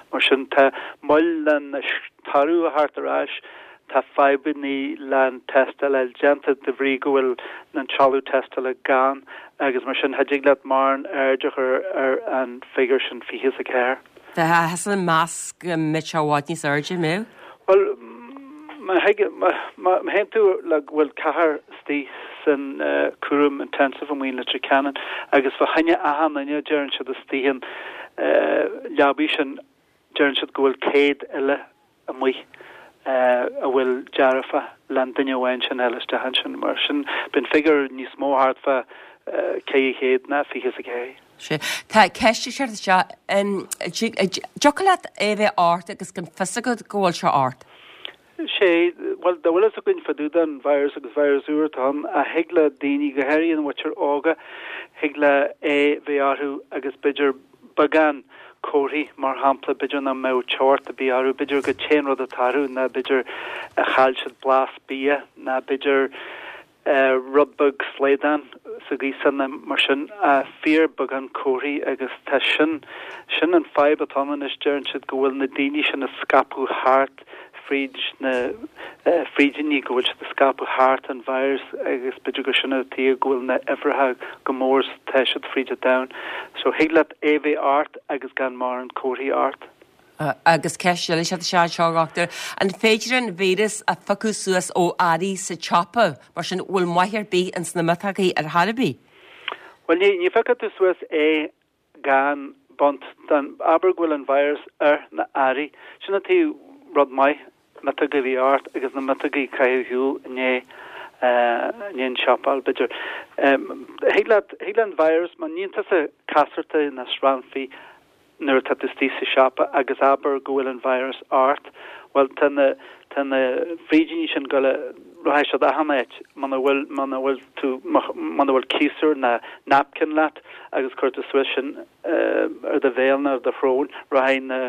Mar sin, tá moill leis an toradh a theacht ar ais, tá fadhbanna le an tástáil a fháil déanta de bhrí go bhfuil an trealamh tástála gann agus mar sin cha dtig leat mórán aird a chur ar an figiúr sin 24. Tá tusa ag meas go mbeidh sé i bhfad níos airde, an mbeadh? Bhuel, má théann tú le go bhfuil ceathrar istigh san cúram intensive amuigh in Leitir Ceanainn agus fá choinne achan duine deireann siad istigh an leabaidh sin deireann siad go bhfuil 100 eile amuigh a bhfuil dearfach le an duine amháin sin a fháil isteach ansin. Mar sin bíonn an figiúr níos mó thart fá 400 ná 24. Sea. Tá ceist ag teacht isteach. An dtiocfadh leat é a bheith ort agus gan fios agat go bhfuil sé ort? Sea, bhuel, dá bhfuil fhios againn fá dtaobh den virus agus virus úr atá ann, ach thig le daoine, go háirithe an mhuintir óga, thig le é bheith orthu agus b'fhéidir beagán comharthaí, mar shampla, b'fhéidir nach mbeadh teocht ar bith orthu, b'fhéidir go t-aon rud atá orthu ná b'fhéidir chaill siad blas bia ná b'fhéidir rud beag slaghdán sa ghaoth mar sin, fíor beagán comharthaí agus tá sin, sin an fadhb atá ann anois, deireann siad go bhfuil na daoine sin ag scaipeadh thart fríd na frídíní, go bhfuil siad ag scaipeadh thart an virus agus b'fhéidir gur sin an tuige go bhfuil na uimhreacha chomh mór is atá siad fríd an domhan. So thig leat é bheith ort agus gan mórán comharthaí ort. Agus ceist eile ag teacht isteach anseo, a dhochtúir, an féidir an víreas a phiocadh suas ó earraí sa tsiopa? Mar sin, bhfuil maith ar bith ins na miotógaí ar chor ar bith? Bhuel, ní, ní phiocfaidh tú suas é gan baint den, abair go bhfuil an virus ar na earraí. Sin an taobh rud maith miotóga a bhí ort agus na miotógaí a chaitheamh ar shiúl i ndiaidh, i ndiaidh an siopa, b'fhéidir. Thig leat, thig le an virus, má níonn tusa casartaí ná srannfaí, nuair atá tú istigh sa siopa agus abair go bhfuil an virus ort, bhuel tá na, tá na frídíní sin go le, rachaidh siad achan áit muna bhfuil, muna bhfuil tú, muna bhfuil ciarsúr ná napkin leat agus cuir tú suas sin ar do bhéal nó ar do shrón, rachaidh na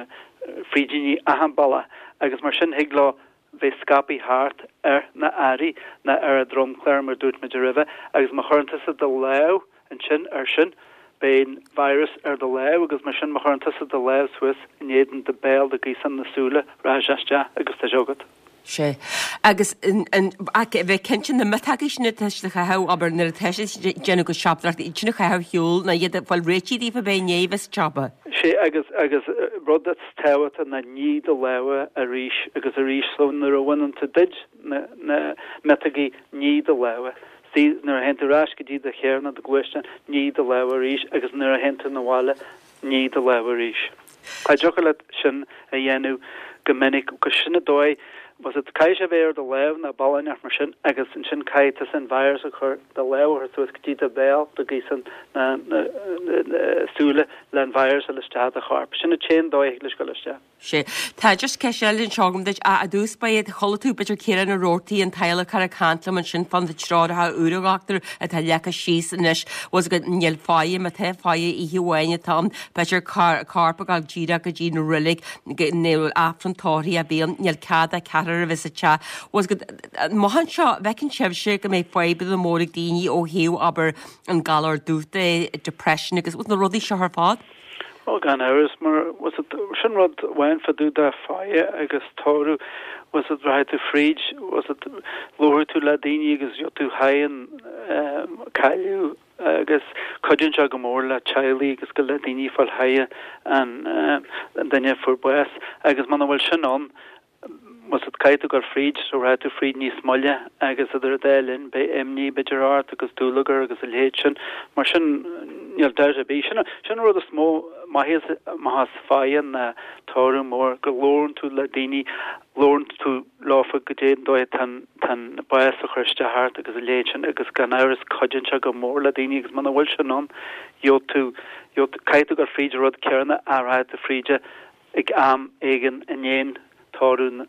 frídíní achan bealach agus mar sin thig leo bheith scaipthe thart ar na earraí ná ar an dromchlár mar dúirt muid roimhe agus má chuireann tusa do lámh ansin air sin beidh an virus ar do lámh agus mar sin má chuireann tusa do lámh suas in éadan do béal do ghaoth na súile rachaidh sé isteach agus tá sé agat. Sea. Agus ach a bheith cinnte na miotógaí sin atá siad a chaitheamh, abair, nuair atá siad ag déanamh go siopadóireachta, iad sin a chaitheamh ar shiúl ná iad a fáil réitithe daofa bheith i ndiaidh a bheith sa tsiopa. Sea, agus, agus rud is tábhachtach ná nigh do lámha arís agus arís so nuair a bhaineann tú duid na, na miotógaí nigh do lámha. See, nuair a théann tú ar ais go dtí do charr nó do ghluaisteán nigh do lámha arís agus nuair a théann tú 'na bhaile nigh do lámha arís. Cha dtiocfadh leat sin a dhéanamh go minic, 'cause sin an dóigh, was it, caithfidh sé a bheith ar do lámh nó bealach inteacht mar sin agus ansin caithfidh tusa an virus a chur, do lámh a chur suas go dtí do bhéal, do ghaoth na, na, na súile le an virus a fháil isteach i do chorp. Sin an t-aon dóigh a thig leis dul isteach. Sea. Tá just ceist eile anseo agam duit. I dtús báire, chuala tú b'fhéidir Ciarán Ó Roarty, an t-adhlacóir ag caint liom ansin fá na treoracha úra, a dhochtúir, atá leagtha síos anois. Bhfuil fhios agat, níl faire, má tá faire oíche amháin atá ann, b'fhéidir corp ag dul díreach go dtí an reilig, níl Aifreann tórraimh ar bith ann, níl cead ach ceathrar a bheith sa teach. Bhfuil fhios agat, amach anseo, an bhfeiceann sibhse go mbeidh fadhbanna móra ag daoine ó thaobh, abair, an galar dubh de, depression agus na rudaí seo ar fad? Ó, gan amhras, mar, sin rud amháin fá dtaobh de faire agus tórramh. Bhfuil 's agat, rachaidh tú fríd, bhfuil 's agat, labharfaidh tú le daoine agus gheobhaidh tú thar an cailleadh agus cuidíonn sé go mór le teaghlaigh agus go le daoine ag fáil thar an duine a fuair bás agus muna bhfuil sin ann, bhfuil 's agat, caithfidh tú dul fríd, so rachaidh tú fríd níos moille agus idir an dá linn beidh imní b'fhéidir ort agus dúlagar agus a leithéid sin. Mar sin níl dabht ar bith. Sin sin an rud is mó maitheas amach as faire ná tórramh mór go labhrann tú le daoine, labhrann tú leofa goidé an dóigh atá an tá an bás ag cur isteach ort agus a leithéid sin agus gan amhras cuidíonn sé go mór le daoine agus muna bhfuil sin ann gheobhaidh tú gheobhaidh tú caithfidh tú dul fríd an rud céanna ach rachaidh tú fríd é ag am éigin i ndiaidh tórramh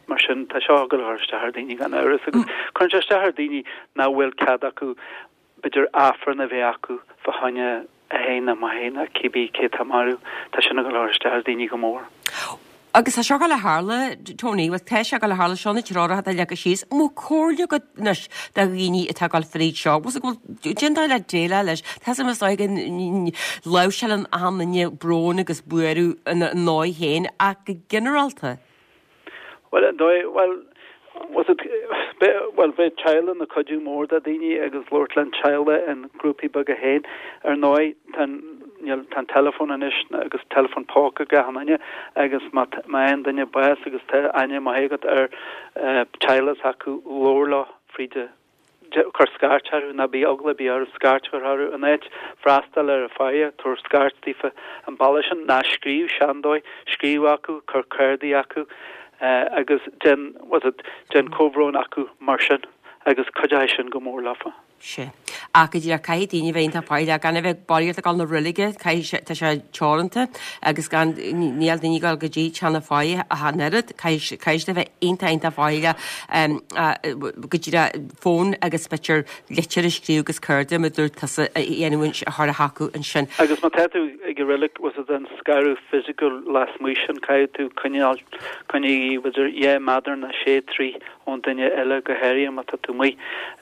mar sin tá seo ag dul a chur isteach ar daoine gan amhras agus cuireann sé isteach ar daoine nach bhfuil cead acu b'fhéidir Aifreann a bheith acu fá choinne a athair nó máthair nó cibé cé atá marbh, tá sin ag dul a chur isteach ar daoine go mór. Agus tá seo ag dul a tharla, Tony, bhuel tá sé ag dul a tharla, seo na treoracha atá leagtha síos, an bhfuil comhairle agat anois do dhaoine atá ag dul fríd seo, bhfuil go bhfuil, cén dóigh le déileáil leis, tá sé is dóigh go láimhseálann achan duine brón agus buaireamh ina ndóigh féin ach go ginearálta. Bhuel, an dóigh, bhuel, was it, bhuel, bheadh teaghlaigh ina cuidiú mór do daoine agus labhairt le an teaghlaigh in grúpaí beaga féin. Ar ndóigh, tá an, níl, tá an teileafón anois agus teileafón póca ag achan duine agus má, má fhaigheann duine bás agus tá aithne maith agat ar teaghlaigh s'acu, labhair leo fríd a cuir scairt orthu, ná bíodh eagla ar bith orthu scairt a chur orthu. In áit freastal ar an faire, tabhair scairt daofa an bealach sin, ná scríobh, sin an dóigh, scríobh acu, cuir cárdaí acu agus déan, what's it, déan comhbhrón acu mar sin agus cuideoidh sin go mór leofa. Sea. Ach go díreach, caithfidh daoine a bheith iontach faichilleach, gan a bheith barraíocht ag dul na reilige, caithfidh sé, tá sé teoranta agus gan, níl daoine ag dul go dtí teach na faire ach an oiread, caithfidh, caithfidh siad a bheith iontach, iontach faichilleach go díreach fón agus b'fhéidir litir a scríobh agus cárta mar a dúirt tusa a dhéanamh a chur chucu ansin. Agus má tá tú ag an reilig, was it an scaradh fisiciúil lasmuigh sin, caithfidh tú coinneáil, coinnigh b'fhéidir 2 méadar nó 6 troigh ón duine eile, go háirithe má tá tú amuigh,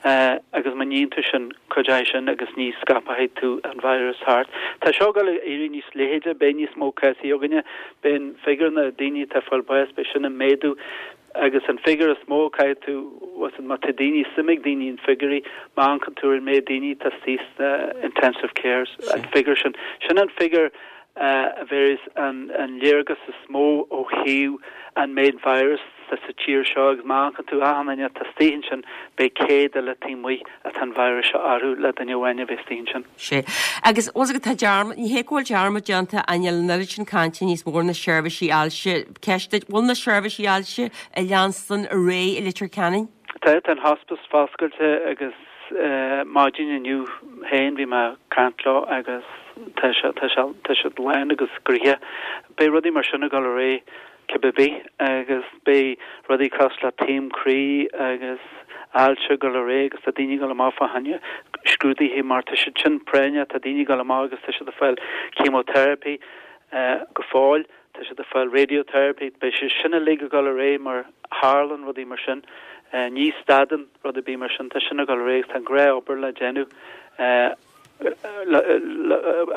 agus má níonn tú sin, cuideoidh sin agus ní scaipfidh tú an virus thart. Tá seo ag dul ag éirí níos leithide, beidh níos mó cásaí againne, beidh an figiúr na daoine atá ag fáil bás, beidh sin ag méadú agus an figiúr is mó caithfidh tú, má tá daoine, suim ag daoine in figiúirí, má amharcann tú ar an méid daoine atá istigh sna intensive cares, an figiúr sin, sin an figiúr a bhéarfas an léargas is mó ó thaobh an méid virus atá sa tír seo agus má amharcann tú achan duine atá istigh ansin beidh 100 eile taobh amuigh atá an virus seo orthu le duine amháin a bheith istigh ansin. Sea. Agus bhfuil 's agat tá dearmad, ní hé go bhfuil dearmad déanta ach níl an oiread sin cainte níos mó ar na seirbhísí ailse. Ceist duit, bhfuil na seirbhísí ailse ag leanstan ar aghaidh i Leitir Ceanainn? Tá, tá an hospice foscailte agus maidin inniu féin bhí mé ag caint leo agus tá sé, tá sé, tá siad lán agus gnoitheach. Beidh rudaí mar sin ag dul ar aghaidh cibé bith agus beidh rudaí cosúil le taom croí agus ailse ag dul ar aghaidh agus tá daoine ag dul amach fá choinne scrúduithe mar tá siad sin práinneach, tá daoine ag dul amach agus tá siad ag fáil chemotherapy go fóill, tá siad ag fáil radiotherapy, beidh sé sin uilig ag dul ar aghaidh mar tharlann rudaí mar sin, ní stadann rud ar bith mar sin, tá sin ag dul ar aghaidh agus tá an gnáth-obair le déanamh.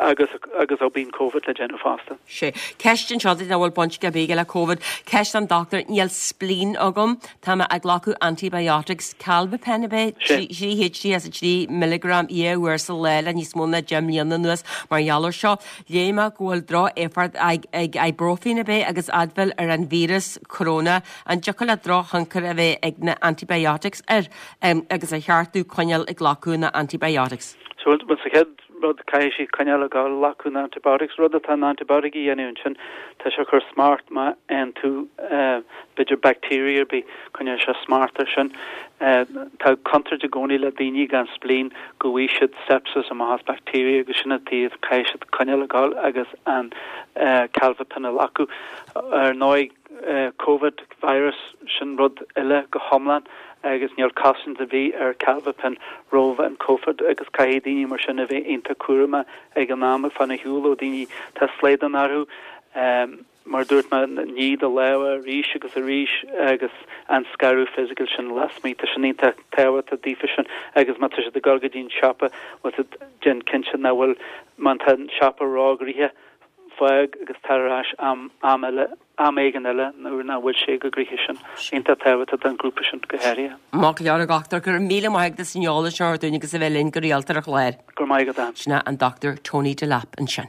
agus agus ó bíonn Covid le déanamh fosta. Sea. Ceist anseo duit nach bhfuil baint ar bith aige le Covid. Ceist don dochtúir, níl spleen agam, tá mé ag glacadh antibiotics, Carbaphen ab é? 3 3 milligram 2 uair sa lá le níos mó ná 10 mbliana anuas mar gheall ar seo. Léigh mé go bhfuil droch-éifeacht ag ibuprofen ab é agus Advil ar an víreas corona. An dtiocfadh le drochthionchar a bheith ag na antibiotics air? Agus ar cheart domh coinneáil ag glacadh na antibiotics? So, bhuel, sa chéad rud, caithfidh sí coinneáil ag glacadh na antibiotics. Rud atá an antibiotic a dhéanamh ansin, tá sé ag cur smacht má fhaigheann tú, b'fhéidir bacteria ar bith, coinneoidh sé smacht air sin. Tá contúirt i gcónaí le daoine gan spleen go bhfaighidh siad sepsis amach as bacteria agus sin an taobh, caithfidh siad coinneáil ag dul agus an Carbaphen a ghlacadh. Ar ndóigh, Covid virus, sin rud eile go hiomlán agus níl cosaint ar bith ar Carbaphen roimh an Covid agus caithfidh daoine mar sin a bheith iontach cúramach ag an am ag fanacht ar shiúl ó daoine tá slaghdán orthu. Mar a dúirt mé, nigh do lámha arís agus arís agus an scaradh fisiciúil sin lasmuigh, tá sin iontach tábhachtach daofa sin agus má tá siad ag dul go dtí an siopa, bhfuil siad, déan cinnte nach bhfuil, má tá an siopa róghnoitheach. fág agus tar ar ais am am eile, am éigin eile nuair nach bhfuil sé chomh gnoitheach sin. Iontach tábhachtach don ghrúpa sin go háirithe. Maith go leor a dhochtúir, go raibh míle maith agat as an eolas seo a thabhairt dúinn agus a bheith linn go rialta ar an chlár. Go raibh maith agat Ann. Sin é an Dr Tony Delap ansin.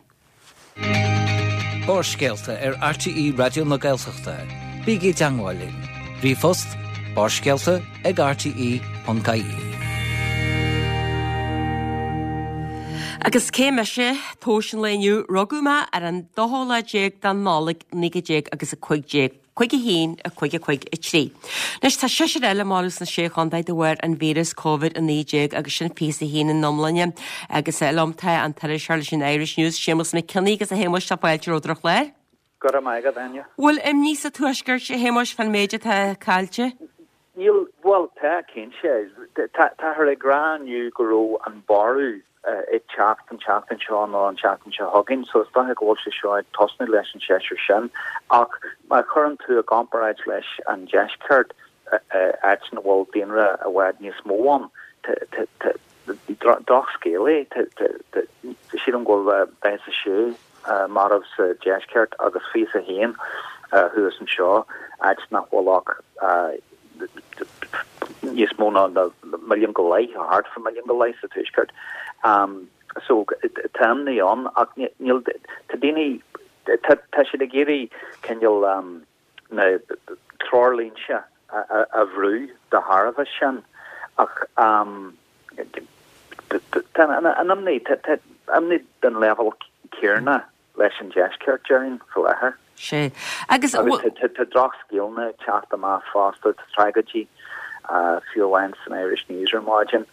Barrscéalta ar RTÉ Raidió na Gaeltachta. Bígí i dteangmháil linn. Ríomhphost, barrscéalta ag rte.ie. Agus cé mise? Tomhas an lae inniu, rugadh mé ar an dóú lá déag de Nollaig 19 agus 15. 5 1, 5 5 3. Anois tá seisear eile marbh sna Sé Chontae de bharr an víreas Covid-19 agus sin 21 ina iomláine. Agus liom tá an t-iriseoir leis an Irish News, Séamus Mac Cionnaith agus a Shéamuis tá fáilte romhat ar an chlár. Go raibh maith agat, Áine. Bhfuil imní sa Tuaisceart, a Shéamuis, fán méid atá caillte? Níl, bhuel, tá, cinnte. Táthar ag rá inniu go raibh an borradh ag teacht an tseachtain seo nó an tseachtain seo chugainn, so is dócha go bhfuil sé seo ag tosnú leis an seisear sin. Ach má chuireann tú i gcomparáid leis an deisceart, áit ina bhfuil daonra i bhfad níos mó ann, drochscéal é. Sílim go bhfuil 46 marbh sa deisceart agus 21 thuas anseo, áit nach bhfuil ach níos mó ná milliún go leith, thart fá milliún go leith sa tuaisceart. So tá imní ann ach níl, tá daoine, tá siad ag iarraidh cineál na treoirlínte a bhrú de thairbhe sin ach tá an imní, tá imní den leibhéal céanna leis an deisceart, déarfainn, faoi láthair. Sea. Agus. Agus tá drochscéalna ag teacht amach fosta, tá tragóidí, fiú amháin san Irish News ar maidin,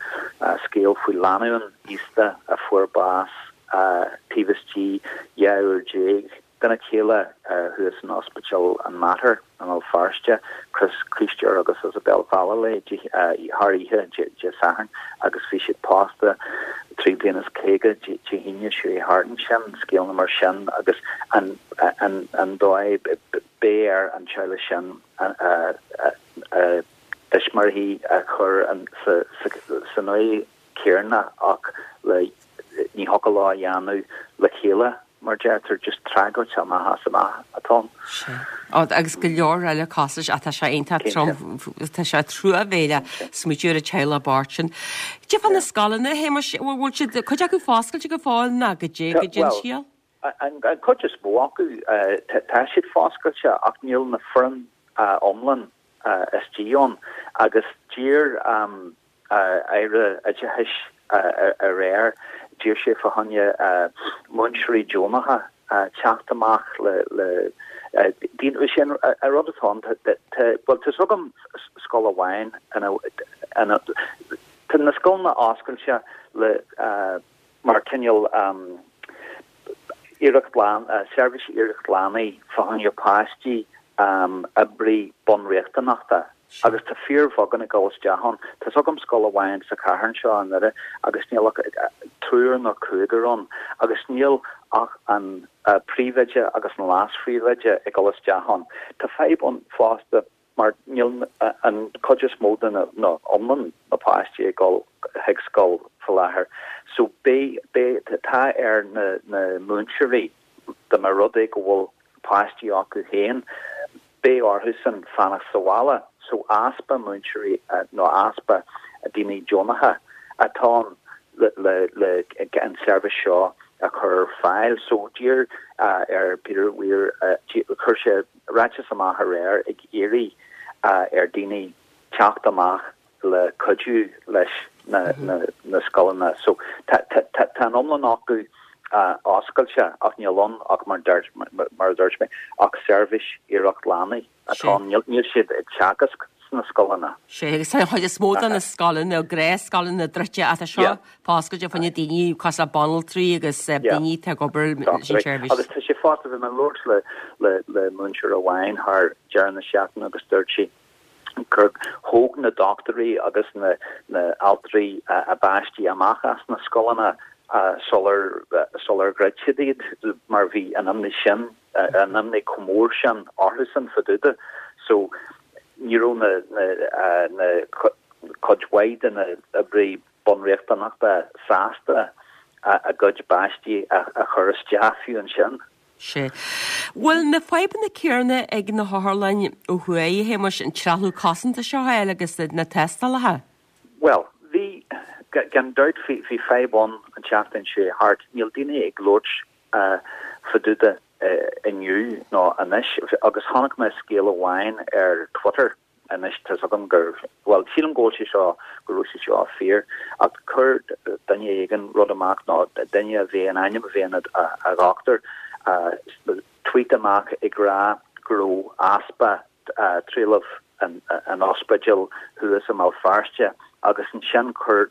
scéal faoi lánúin aosta a fuair bás taobh istigh 12 uair dena chéile thuas in Ospidéal an Mater i mBéal Feirste, Chris Críostóir agus Isabel Vallely, thar oíche Dé Sathairn agus bhí siad pósta 3 bliana is 50 Dé hAoine seo thart ansin, scéalna mar sin agus an dóigh beidh ar an teaghlach sin a dtuismitheoirí a chur san uaigh céanna ach le ní thiocfadh leo a dhéanamh le chéile mar deirtear, just tragóid amach as amach atá ann. Sea. Agus go leor eile cosúil leis ach tá sé iontach trom, tá sé truamhéileach smaoitiú ar an teaghlach bocht sin. Cad é fá na scoileanna, a Shéamais, bhfuil siad, cuid acu foscailte go fóill nó goidé, goidé an scéal? An chuid is mó acu, tá siad foscailte ach níl na foireann iomlán istigh ann agus d'iarr Aire Oideachais aréir, d'iarr sé fá choinne múinteoirí deonacha teacht amach le daoine, sin an rud atá ann, bhuel tá's agam scoil amháin ina, tá na scoileanna oscailte le mar cineál iarracht, seirbhís iarracht leanaí fá choinne páistí oibrí bunriachtanachta agus tá fíorbheagán ag dul isteach ann. Tá's agam scoil amháin sa chathair anseo i nDoire agus níl ach triúr nó cúigear ann agus níl ach an príomhoide agus an leas-phríomhoide ag dul isteach ann. Tá fadhb ann fosta mar níl an cuid is mó de na, nó iomlán na páistí ag dul chuig scoil faoi láthair. So beidh, beidh, tá ar na, na múinteoirí dá mba rud é go bhfuil páistí acu féin, beidh orthusan fanacht sa bhaile. So easpa múinteoirí nó easpa daoine deonacha atá ann le, le, le an seirbhís seo a chur ar fáil. So d'iarr ar Peter Weir, chuir sé ráiteas amach aréir ag iarraidh ar daoine teacht amach le cuidiú leis na scoileanna. So tá an iomlán acu oscailte ach níl ann ach mar a dúirt mé ach seirbhís iarracht leanaí atá ann. Níl siad ag teagasc sna scoileanna. Sea, agus tá an chuid is mó de na scoileanna, gnáthscoileanna druidte ach tá seo foscailte fá choinne daoine cosúil le banaltraí agus daoine atá ag obair leis an tseirbhís. Agus tá sé fosta, bhí mé ag labhairt le le múinteoir amháin thar deireadh na seachtaine agus dúirt sí gur thóg na dochtúirí agus na na altraí a bpáistí amach as na scoileanna sular sular dhruid siad iad mar bhí an imní sin an imní chomh mór sin orthusan fá dtaobh de. So ní raibh na na na cuid mhaith de na oibrithe bunriachtanachta sásta a gcuid páistí a chur isteach fiú ansin. Sea. Bhfuil na fadhbanna céanna ag na hotharlanna ó thuaidh, a Shéamais, an trealamh cosanta seo a fháil agus na tástálacha? Bhuel, bhí, gan dabht, bhí fadhb ann an tseachtain seo thart. Níl daoine ag labhairt fá dtaobh de inniu nó anois agus chonaic mé scéal amháin ar Twitter anois, tá's agam gur, bhuel, sílim go bhfuil sé seo, go raibh sé seo fíor, ach chuir duine éigin rud amach nó duine a bhí, an ainm a bhí ina dhochtúir, tweet amach ag rá go raibh easpa trealamh in ospidéal thuas i mBéal Feirste agus ansin chuir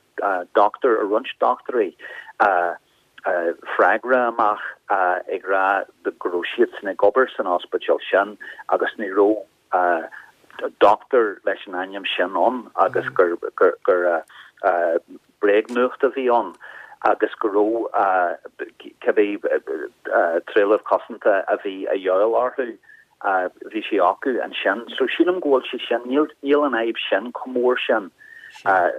dochtúir, roinnt dochtúirí, freagra amach ag rá go raibh siadsan ag obair san ospidéal sin agus ní raibh dochtúir leis an ainm sin ann agus gur bréagnuacht a bhí ann agus go raibh cibé trealamh cosanta a bhí a dhíobháil orthu bhí sé acu ansin. So sílim go bhfuil sé sin, níl níl an fhadhb sin chomh mór sin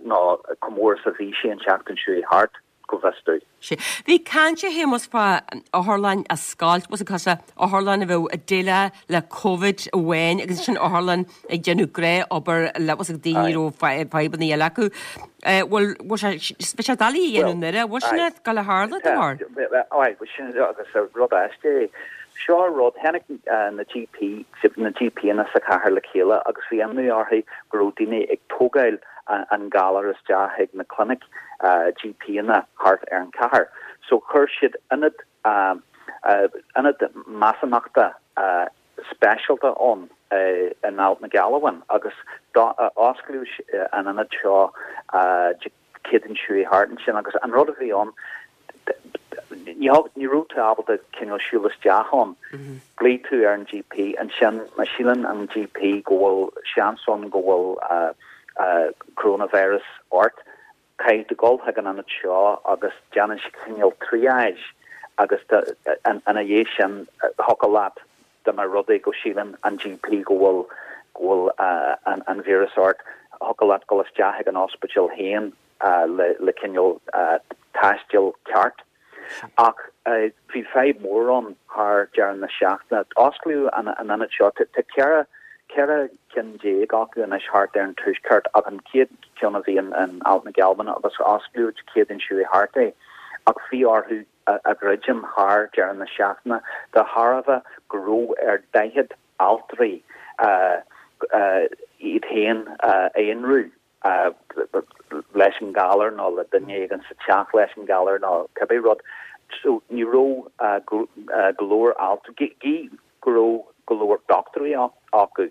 nó chomh mór is a bhí sé an tseachtain seo thart. go bhfios domh. Sea. Bhí caint a Shéamais fá otharlann a oscailt, bhfuil 's agat, otharlann a bheadh ag déileáil le Covid amháin agus ansin otharlann ag déanamh gnáthobair le bhfuil 's agat daoine a raibh fadhbanna eile acu. Bhfuil, bhfuil sé, bhí sé doiligh a dhéanamh i nDoire, bhfuil sin ag gabháil a tharlú dá bharr? Aye, sin agus rud aisteach é. Seo rud, tháinig na GP, na GPanna sa chathair le chéile agus bhí imní orthu go raibh daoine ag tógáil an galar isteach chuig na clinic GPanna thart ar an chathair. So chuir siad ionad ionad measúnachta speisialta ann in Ailt na Gealbhan agus osclaíodh an ionad seo Dé Céadaoin seo thart ansin agus an rud a bhí ann ní ní raibh tú ábalta cineál siúl isteach ann. Glaoigh tú ar an GP ansin má síleann an GP go bhfuil seans ann go bhfuil coronavirus ort, caithfidh tú dul chuig an ionad seo agus déanann siad cineál triage agus ina dhiaidh sin thiocfadh leat dá mba rud é go síleann an GP go bhfuil go bhfuil an víreas ort, thiocfadh leat dul isteach chuig an ospidéal féin le le cineál taisteal ceart. Ach bhí fadhb mhór ann thar deireadh na seachtaine. Osclaíodh an ionad seo, tá 14 cheithre cinn acu anois thart ar an tuaisceart ach an chéad cheann a bhí in Ailt na Gealbhan agus osclaíodh Dé Céadaoin seo thart é. Ach bhí orthu a dhruidim thar deireadh na seachtaine de thairbhe go raibh ar 40 altraí iad féin a aonrú leis an galar nó le duine éigin sa teach leis an galar nó cibé rud. So ní raibh go leor altraí, gí go raibh go leor dochtúirí acu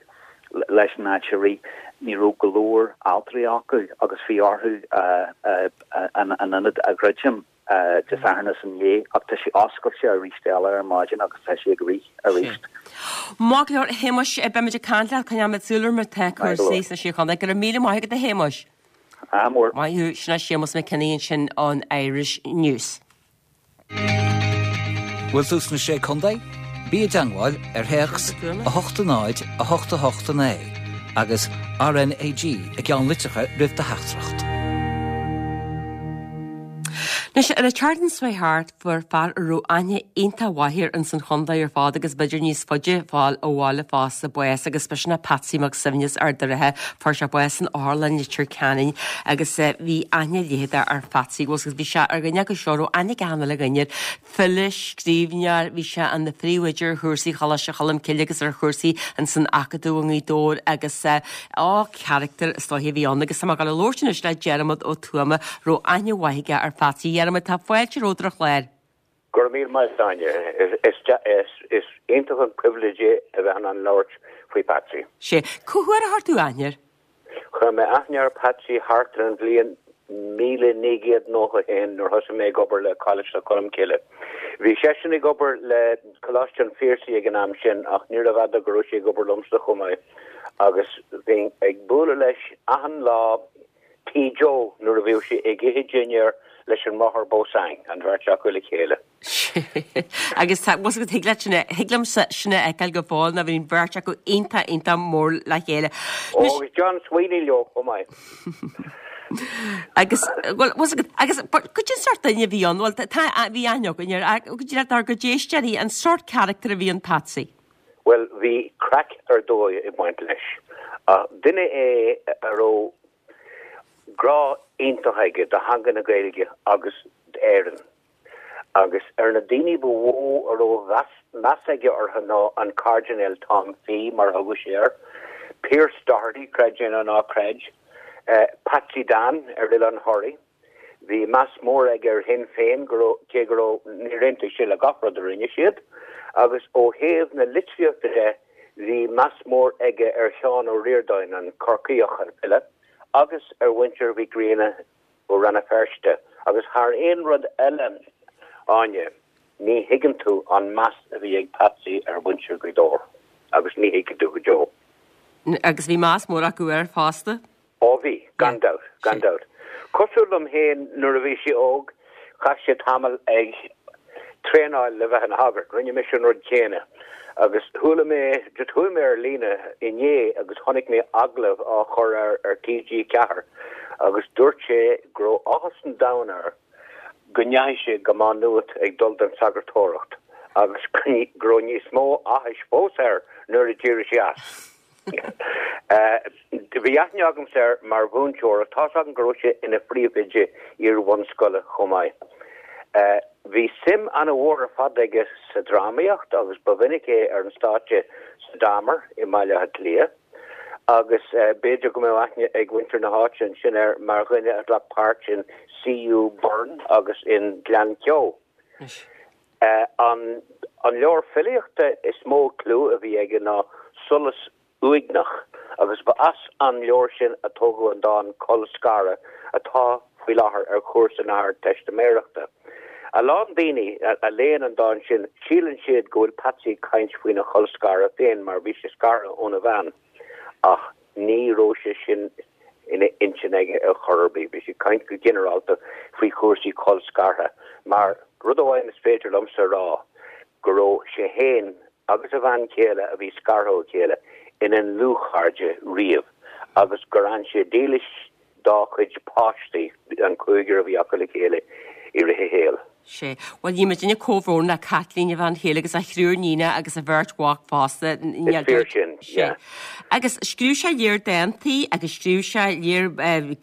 leis an áit a rith, ní raibh go leor altraí acu agus bhí orthu an ionad a dhruidim. Dé Sathairn is inné ach tá sé oscailte arís eile ar maidin agus tá sé ag rith arís. Maith go leor, a Shéamais, beimid ag caint leat, coinneoimid súil ar mar atá cúrsaí sna Sé Chontae. Go raibh míle maith agat, a Shéamais. Ádh mór. Maith thú, sin é Séamus Mac Cionnaith ansin ón Irish News. Bhfuil tú sna Sé Contae? Bí i dteangmháil ar théacs 8 0 8 8 9 agus RNAG i gceannlitreacha roimh do theachtaireacht. Anois, ar an tseachtain seo thart, fuair fear a raibh aithne iontach mhaith air ins an chontae ar fad agus b'fhéidir níos faide fáil ó bhaile fosta bás agus b'shin é Patsy Mac Suibhne as Ard an Rátha. Fuair sé bás san otharlann i Leitir Ceanainn agus bhí aithne leitheadach ar Phatsy agus bhí sé ar dhuine acu seo a raibh aithne ag achan uile dhuine air. File, scríbhneoir, bhí sé ina phríomhoide ar chúrsaí Choláiste Cholm Cille agus ar chúrsaí ins an Acadamh i nGaoth Dobhair agus á, charachtar is dóiche a bhí ann agus tá mé ag dul a labhairt anois le Diarmuid Ó Tuama, raibh aithne mhaith aige ar Phatsy. Diarmuid, tá fáilte romhat ar an chlár. Go raibh míle maith agat, Áine. Is iontach an privilege é a bheith in ann labhairt faoi Patsy. Sea. Cá huair a chuir tú aithne air? Chuir mé aithne ar Patsy thart ar an bhliain 1991 nuair thosaigh mé ag obair le Coláiste Cholm Cille. Bhí seisean ag obair le Coláiste an Phiarsaigh ag an am sin ach níorbh fhada go raibh sé ag obair liomsa chomh maith agus bhínn ag bualadh leis achan lá Tí Joe nuair a bhíodh sé ag ithe dinnéar leis an mBráthair Beausang, an bheirt acu le chéile. Agus tá, bhfuil thig leat sin, thig liomsa sin a fheiceáil go fóill ná bhí an bheirt acu iontach, iontach mór le chéile. Ó, agus John Sweeney leo chomh maith. Agus, bhuel, bhfuil agus, but goidé an sórt. sórt duine a bhí ann? Bhuel, tá, bhí aithne againn air, ach go díreach dár gcuid éisteoirí, an sórt carachtar a bhí in Patsy? Bhuel, bhí craic ar dóigh ag baint leis. Duine é a raibh grá iontach aige do theanga na Gaeilge agus d'Éirinn. Agus ar na daoine ba mhó a raibh meas aige orthu ná an Cairdinéal Tom Fee, mar a thugadh sé air, Pearse Doherty, creid é nó ná creid, Patsy Dan ar Oileán Thoraí. Bhí meas mór aige ar Shinn Féin, go raibh, cé go raibh, níor aontaigh sé le gach rud a rinne siad. Agus ó thaobh na litríochta de, bhí meas mór aige ar Sheán Ó Ríordáin, an Corcaíoch, an file, agus ar mhuintir Mhic Grianna ó Rann na Feirste agus thar aon rud eile, Áine, ní thuigeann tú an meas a bhí ag Patsy ar mhuintir Ghaoth Dobhair agus ní thuigfidh tú go deo. Agus bhí meas mór acu air fosta. Ó bhí, gan dabht, gan dabht. Cosúil liom féin nuair a bhí sé óg, chaith sé tamall ag traenáil le bheith ina shagart. Rinne mise an rud céanna. Agus chuala mé, just chuaigh mé ar líne inné agus chonaic mé agallamh á chur air ar TG4 agus dúirt sé go raibh áthas an domhain air go ndeachaigh sé go Má Nuat ag dul don sagartóireacht agus go raibh níos mó áthais fós air nuair a d'éirigh sé as. Bhí aithne agamsa air mar mhúinteoir ach tá's agam go raibh sé ina phríomhoide iar-bhunscoile chomh maith. Bhí suim an-mhór ar fad aige sa drámaíocht agus ba mhinic é ar an stáitse sa Damer i mBaile Átha Cliath agus b'fhéidir go mbeadh aithne ag muintir na háite ansin air mar dhuine a ghlac páirt in CU Burn agus in Gleann Ceo. An leabhar filíochta is mó clú a bhí aige ná Solas Uaigneach agus ba as an leabhar sin a tógadh an dán Colscaradh atá faoi láthair ar chúrsa na hArdteistiméireachta. A lán daoine a léann an dán sin, síleann siad go bhfuil Patsy ag caint faoina cholscaradh féin mar bhí sé scartha óna bhean ach ní raibh sé sin ina intinn aige ar chor ar bith. Bhí sé ag caint go ginearálta faoi chúrsaí colscartha mar rud amháin is féidir liomsa a rá go raibh sé féin agus a bhean chéile a bhí scartha ó chéile ina ndlúthchairde riamh agus gur fhan sé dílis dá chuid páistí, an cúigear a bhí acu le chéile i rith a shaoil. Sea. Bhuel, ní muidinne comhbhrón le Caitlín, a bhean chéile, agus a thriúr níonacha agus a bheirt mhac fosta. Is fíor sin, yeah. Agus scríobh sé lear dántaí agus scríobh sé lear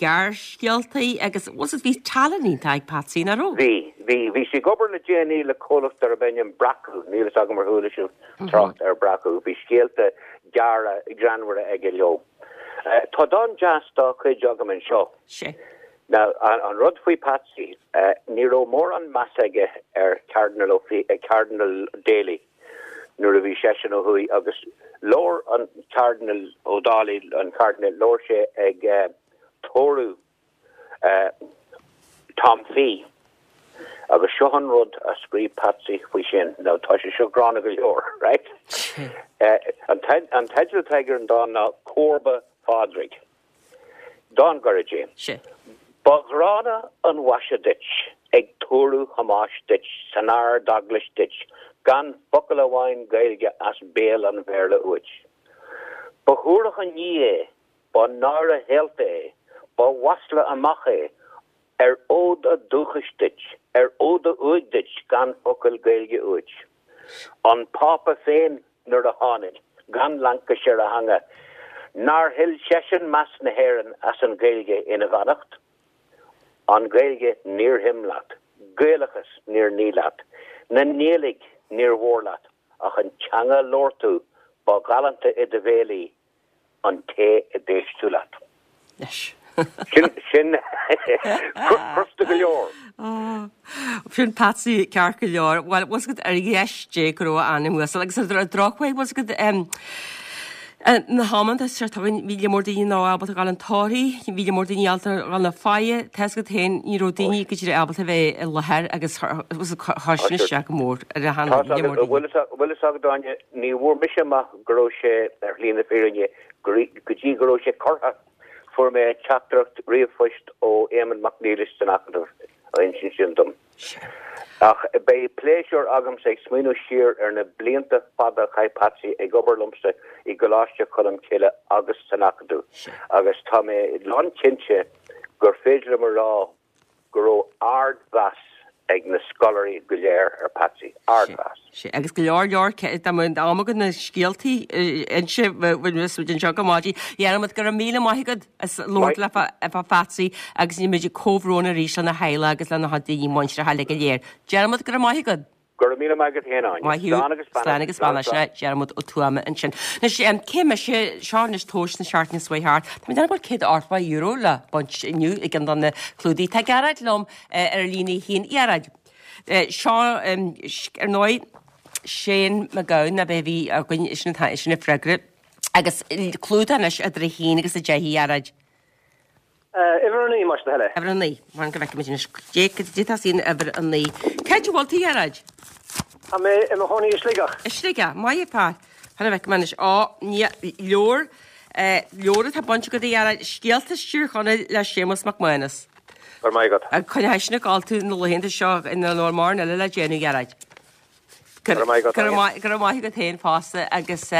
gearrscéaltaí agus, bhuel, bhí tallann iontach ag Patsy, nach raibh? Bhí, bhí. Bhí sé ag obair le déanaí le comhlacht darb ainm Breacadh, níl fhios agam ar chuala sibh trácht ar Breacadh. Bhí scéalta gearra greannmhara aige leo. Tá dán deas dá chuid agam anseo. Sea. Now, an rud faoi Patsy, ní raibh mórán meas aige ar Cardinal Ó Cardinal Daly nuair a bhí seisean ó thuaidh agus labhair an Cardinal Ó Dálaigh, an Cardinal, labhair sé ag tórramh Tom Fee agus seo an rud a scríobh Patsy faoi sin. Now, tá sé seo gránna go leor, right? An teideal atá aige ar an dán ná Comharba Phádraig. Dán gairid é. Sea. Ba ghránna an mhaise duit ag tórramh Thomáis duit san Ard-Eaglais duit gan focal amháin Gaeilge as béal an Bhéarla uait. Ba shuarach an ní é, ba náire shaolta é, ba mhasla amach é, ar fhód a dúchais duit, ar fhód a uaigh duit gan focal Gaeilge uait. An Pápa féin nuair a tháinig, gan laincis ar a theanga, nár thuill seisean meas na hÉireann as an Ghaeilge ina bheannacht? An Ghaeilge níor shuim leat, Gaelachas níor ní leat, na Niallaigh níor mhór leat, ach an teanga a labhair tú, ba ghalánta i do bhéal í, an té a d'éist tú leat. Leis. Sin, sin, crosta go leor. Sin Patsy ceart go leor. Bhuel, bhfuil 's agat ar dheis Dé go raibh a anam uasal agus ar an drochuair, bhfuil 's agat na hamanta seo againn bhí lear mór daoine ná ábalta a ghabháil chun tórraimh, bhí lear mór daoine ábalta a ghabháil chun faire, tá 's agat féin, ní raibh daoine go díreach ábalta a bheith i láthair agus chuir sin isteach go mór ar a Tá 's agat, bhfuil 'fhios agat Áine, ní bhfuair mise amach go raibh sé ar shlí na fírinne go dtí go raibh sé curtha. Fuair mé teachtaireacht ríomhphoist ó Éamonn Mac Niallais san Acadamh á insint sin dom. Ach beidh pléisiúr agamsa ag smaoineamh siar ar na blianta fada a chaith Patsy ag obair liomsa i gColáiste Cholm Cille agus san Acadamh agus tá mé lánchinnte gur féidir liom a rá. go raibh ardmheas ag na scoláirí go léir ar Patsy. Ardmheas. Sea, agus go leor leor, dá mbeadh am againn na scéaltaí a inse, bheadh muid anseo go maidin. Dhiarmaid, go raibh míle maith agat as labhairt le fá Phatsy agus déanaimid comhbhrón arís lena theaghlach agus lena chuid daoine muinteartha uilig go léir. Diarmaid, go raibh maith agat. Go raibh míle maith agat féin, Áine. Maith thú. Slán agus beannacht. Slán agus beannacht. Sin é Diarmuid Ó Tuama ansin. Anois, cé mise, seo anois tomhais na seachtaine seo thart. Tá mé ag déanamh go bhfuil €180 le baint inniu i gceann de na clúdaigh. Tá Gearóid liom ar líne a haon. Gearóid, seo, ar ndóigh, Shane MacGowan ab é a bhí againn, sin atá, sin an freagra. Agus clúdach anois idir 1 agus 10 a Ghearóid. Uimhir a 9, más do thoil é. Uimhir a 9. Mar go bhfeicfimid anois. Cé tosaíonn uimhir a 9. Cá háit a bhfuil tú, a Ghearóid? Tá mé i mo chónaí i Sligeach. I Sligeach. Maith an fear. Fan go bhfeicfidh mé anois. Ó, ní, leabhar, leabhar atá bainte agat a Ghearóid, Scéalta Thír Chonaill le Séamus Mac Mánais. Go raibh maith agat. Coinneoidh sin ag gabháil tú na laethanta seo ina bhfuil mórán eile le déanamh, a Ghearóid. Go raibh maith agat, Áine. Go raibh maith agat féin fosta agus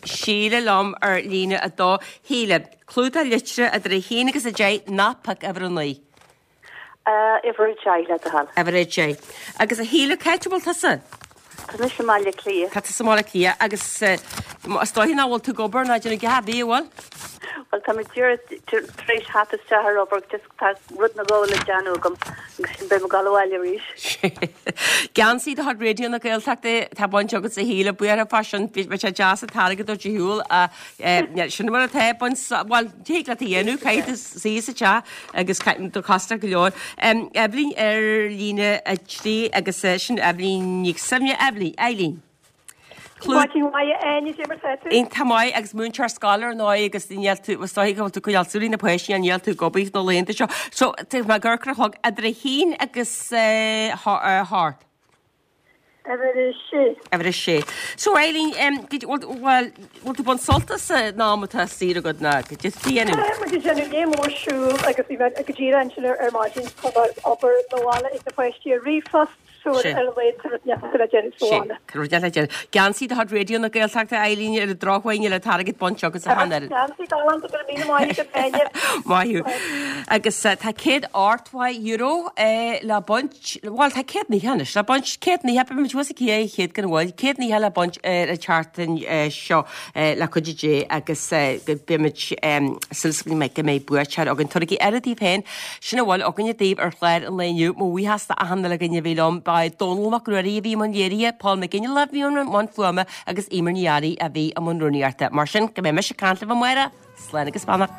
Síle liom ar líne 2. Shíle, clúdach litreach idir 1 agus 10, ná pioc uimhir 9. Uimhir 10 le do thoil. Uimhir 10. Agus a Shíle, cá háit a bhfuil tusa? Tá mise i mBaile Átha Cliath. Tá tusa i mBaile Átha Cliath agus is dóiche nach bhfuil tú ag obair ná ag déanamh a dhath ar bith, an bhfuil? Bhuel, tá mé díreach tar éis theacht isteach ar obair, just tá rud nó dhó le déanamh agam agus sin beidh mé ag dul abhaile arís. Geansaí de chuid Raidió na Gaeltachta atá bainte agat a Shíle, buíochas fá sin, bheadh sé deas an t-airgead a thabhairt ar shiúl ach sin mar atá, baint, bhuel, thig leat a dhéanamh, caithfidh tú suí sa teach agus do chostas go leor. Eibhlín ar líne 3 agus sin Eibhlín Nic Suibhne, Eibhlín, Eileen. Maidin mhaith, a Áine, cad é mar tá tú? Iontach maith agus múinteoir scoile ar ndóigh agus níl tú, is dóigh go bhfuil tú ag coinneáil súil ar na páistí níl tú ag obair na laethanta seo. So, tá mé ag amharc ar an chlog idir a haon agus a hocht. Uimhir a sé. Uimhir a sé. So Eileen, bhfuil, bhfuil tú ag baint sult as an am atá saor agat nó cad é atá tú a dhéanamh? Tá muid ag déanamh léim mór siúl agus bhí mé go díreach ansin ar maidin tá mé ag obair mo bhaile ag na páistí ar ríomhphost. So ar a laghad tá rud inteacht le déanamh sa bhaile. Tá rud inteacht le déanamh. Geansaí de chuid Raidió na Gaeltachta Eileen ar an drochuair níl an t-airgead bainte agat sa cheann eile. Geansaí galánta go raibh míle maith agat Áine. Maith thú. Agus tá €180 le baint, bhuel tá 190 anois le baint, 190, beidh muid thuas ag 200 gan mhoill, 190 le baint ar an tseachtain seo le cuidiú Dé agus beimid súil go mbeidh buaiteoir againn. Tabhairigí aire daoibh féin. Sin a bhfuil againne daoibh ar chlár an lae inniu. Mo bhuíochas d'achan uile dhuine a bhí liom. Ba é Dónall Mac Ruairí a bhí i mbun léirithe, Paul McGinley a bhí i mbun fuaime agus Eimear Ní Fhearraigh a bhí i mbun rúnaíochta. Mar sin, go mbeidh mise ag caint libh amárach, slán agus beannacht.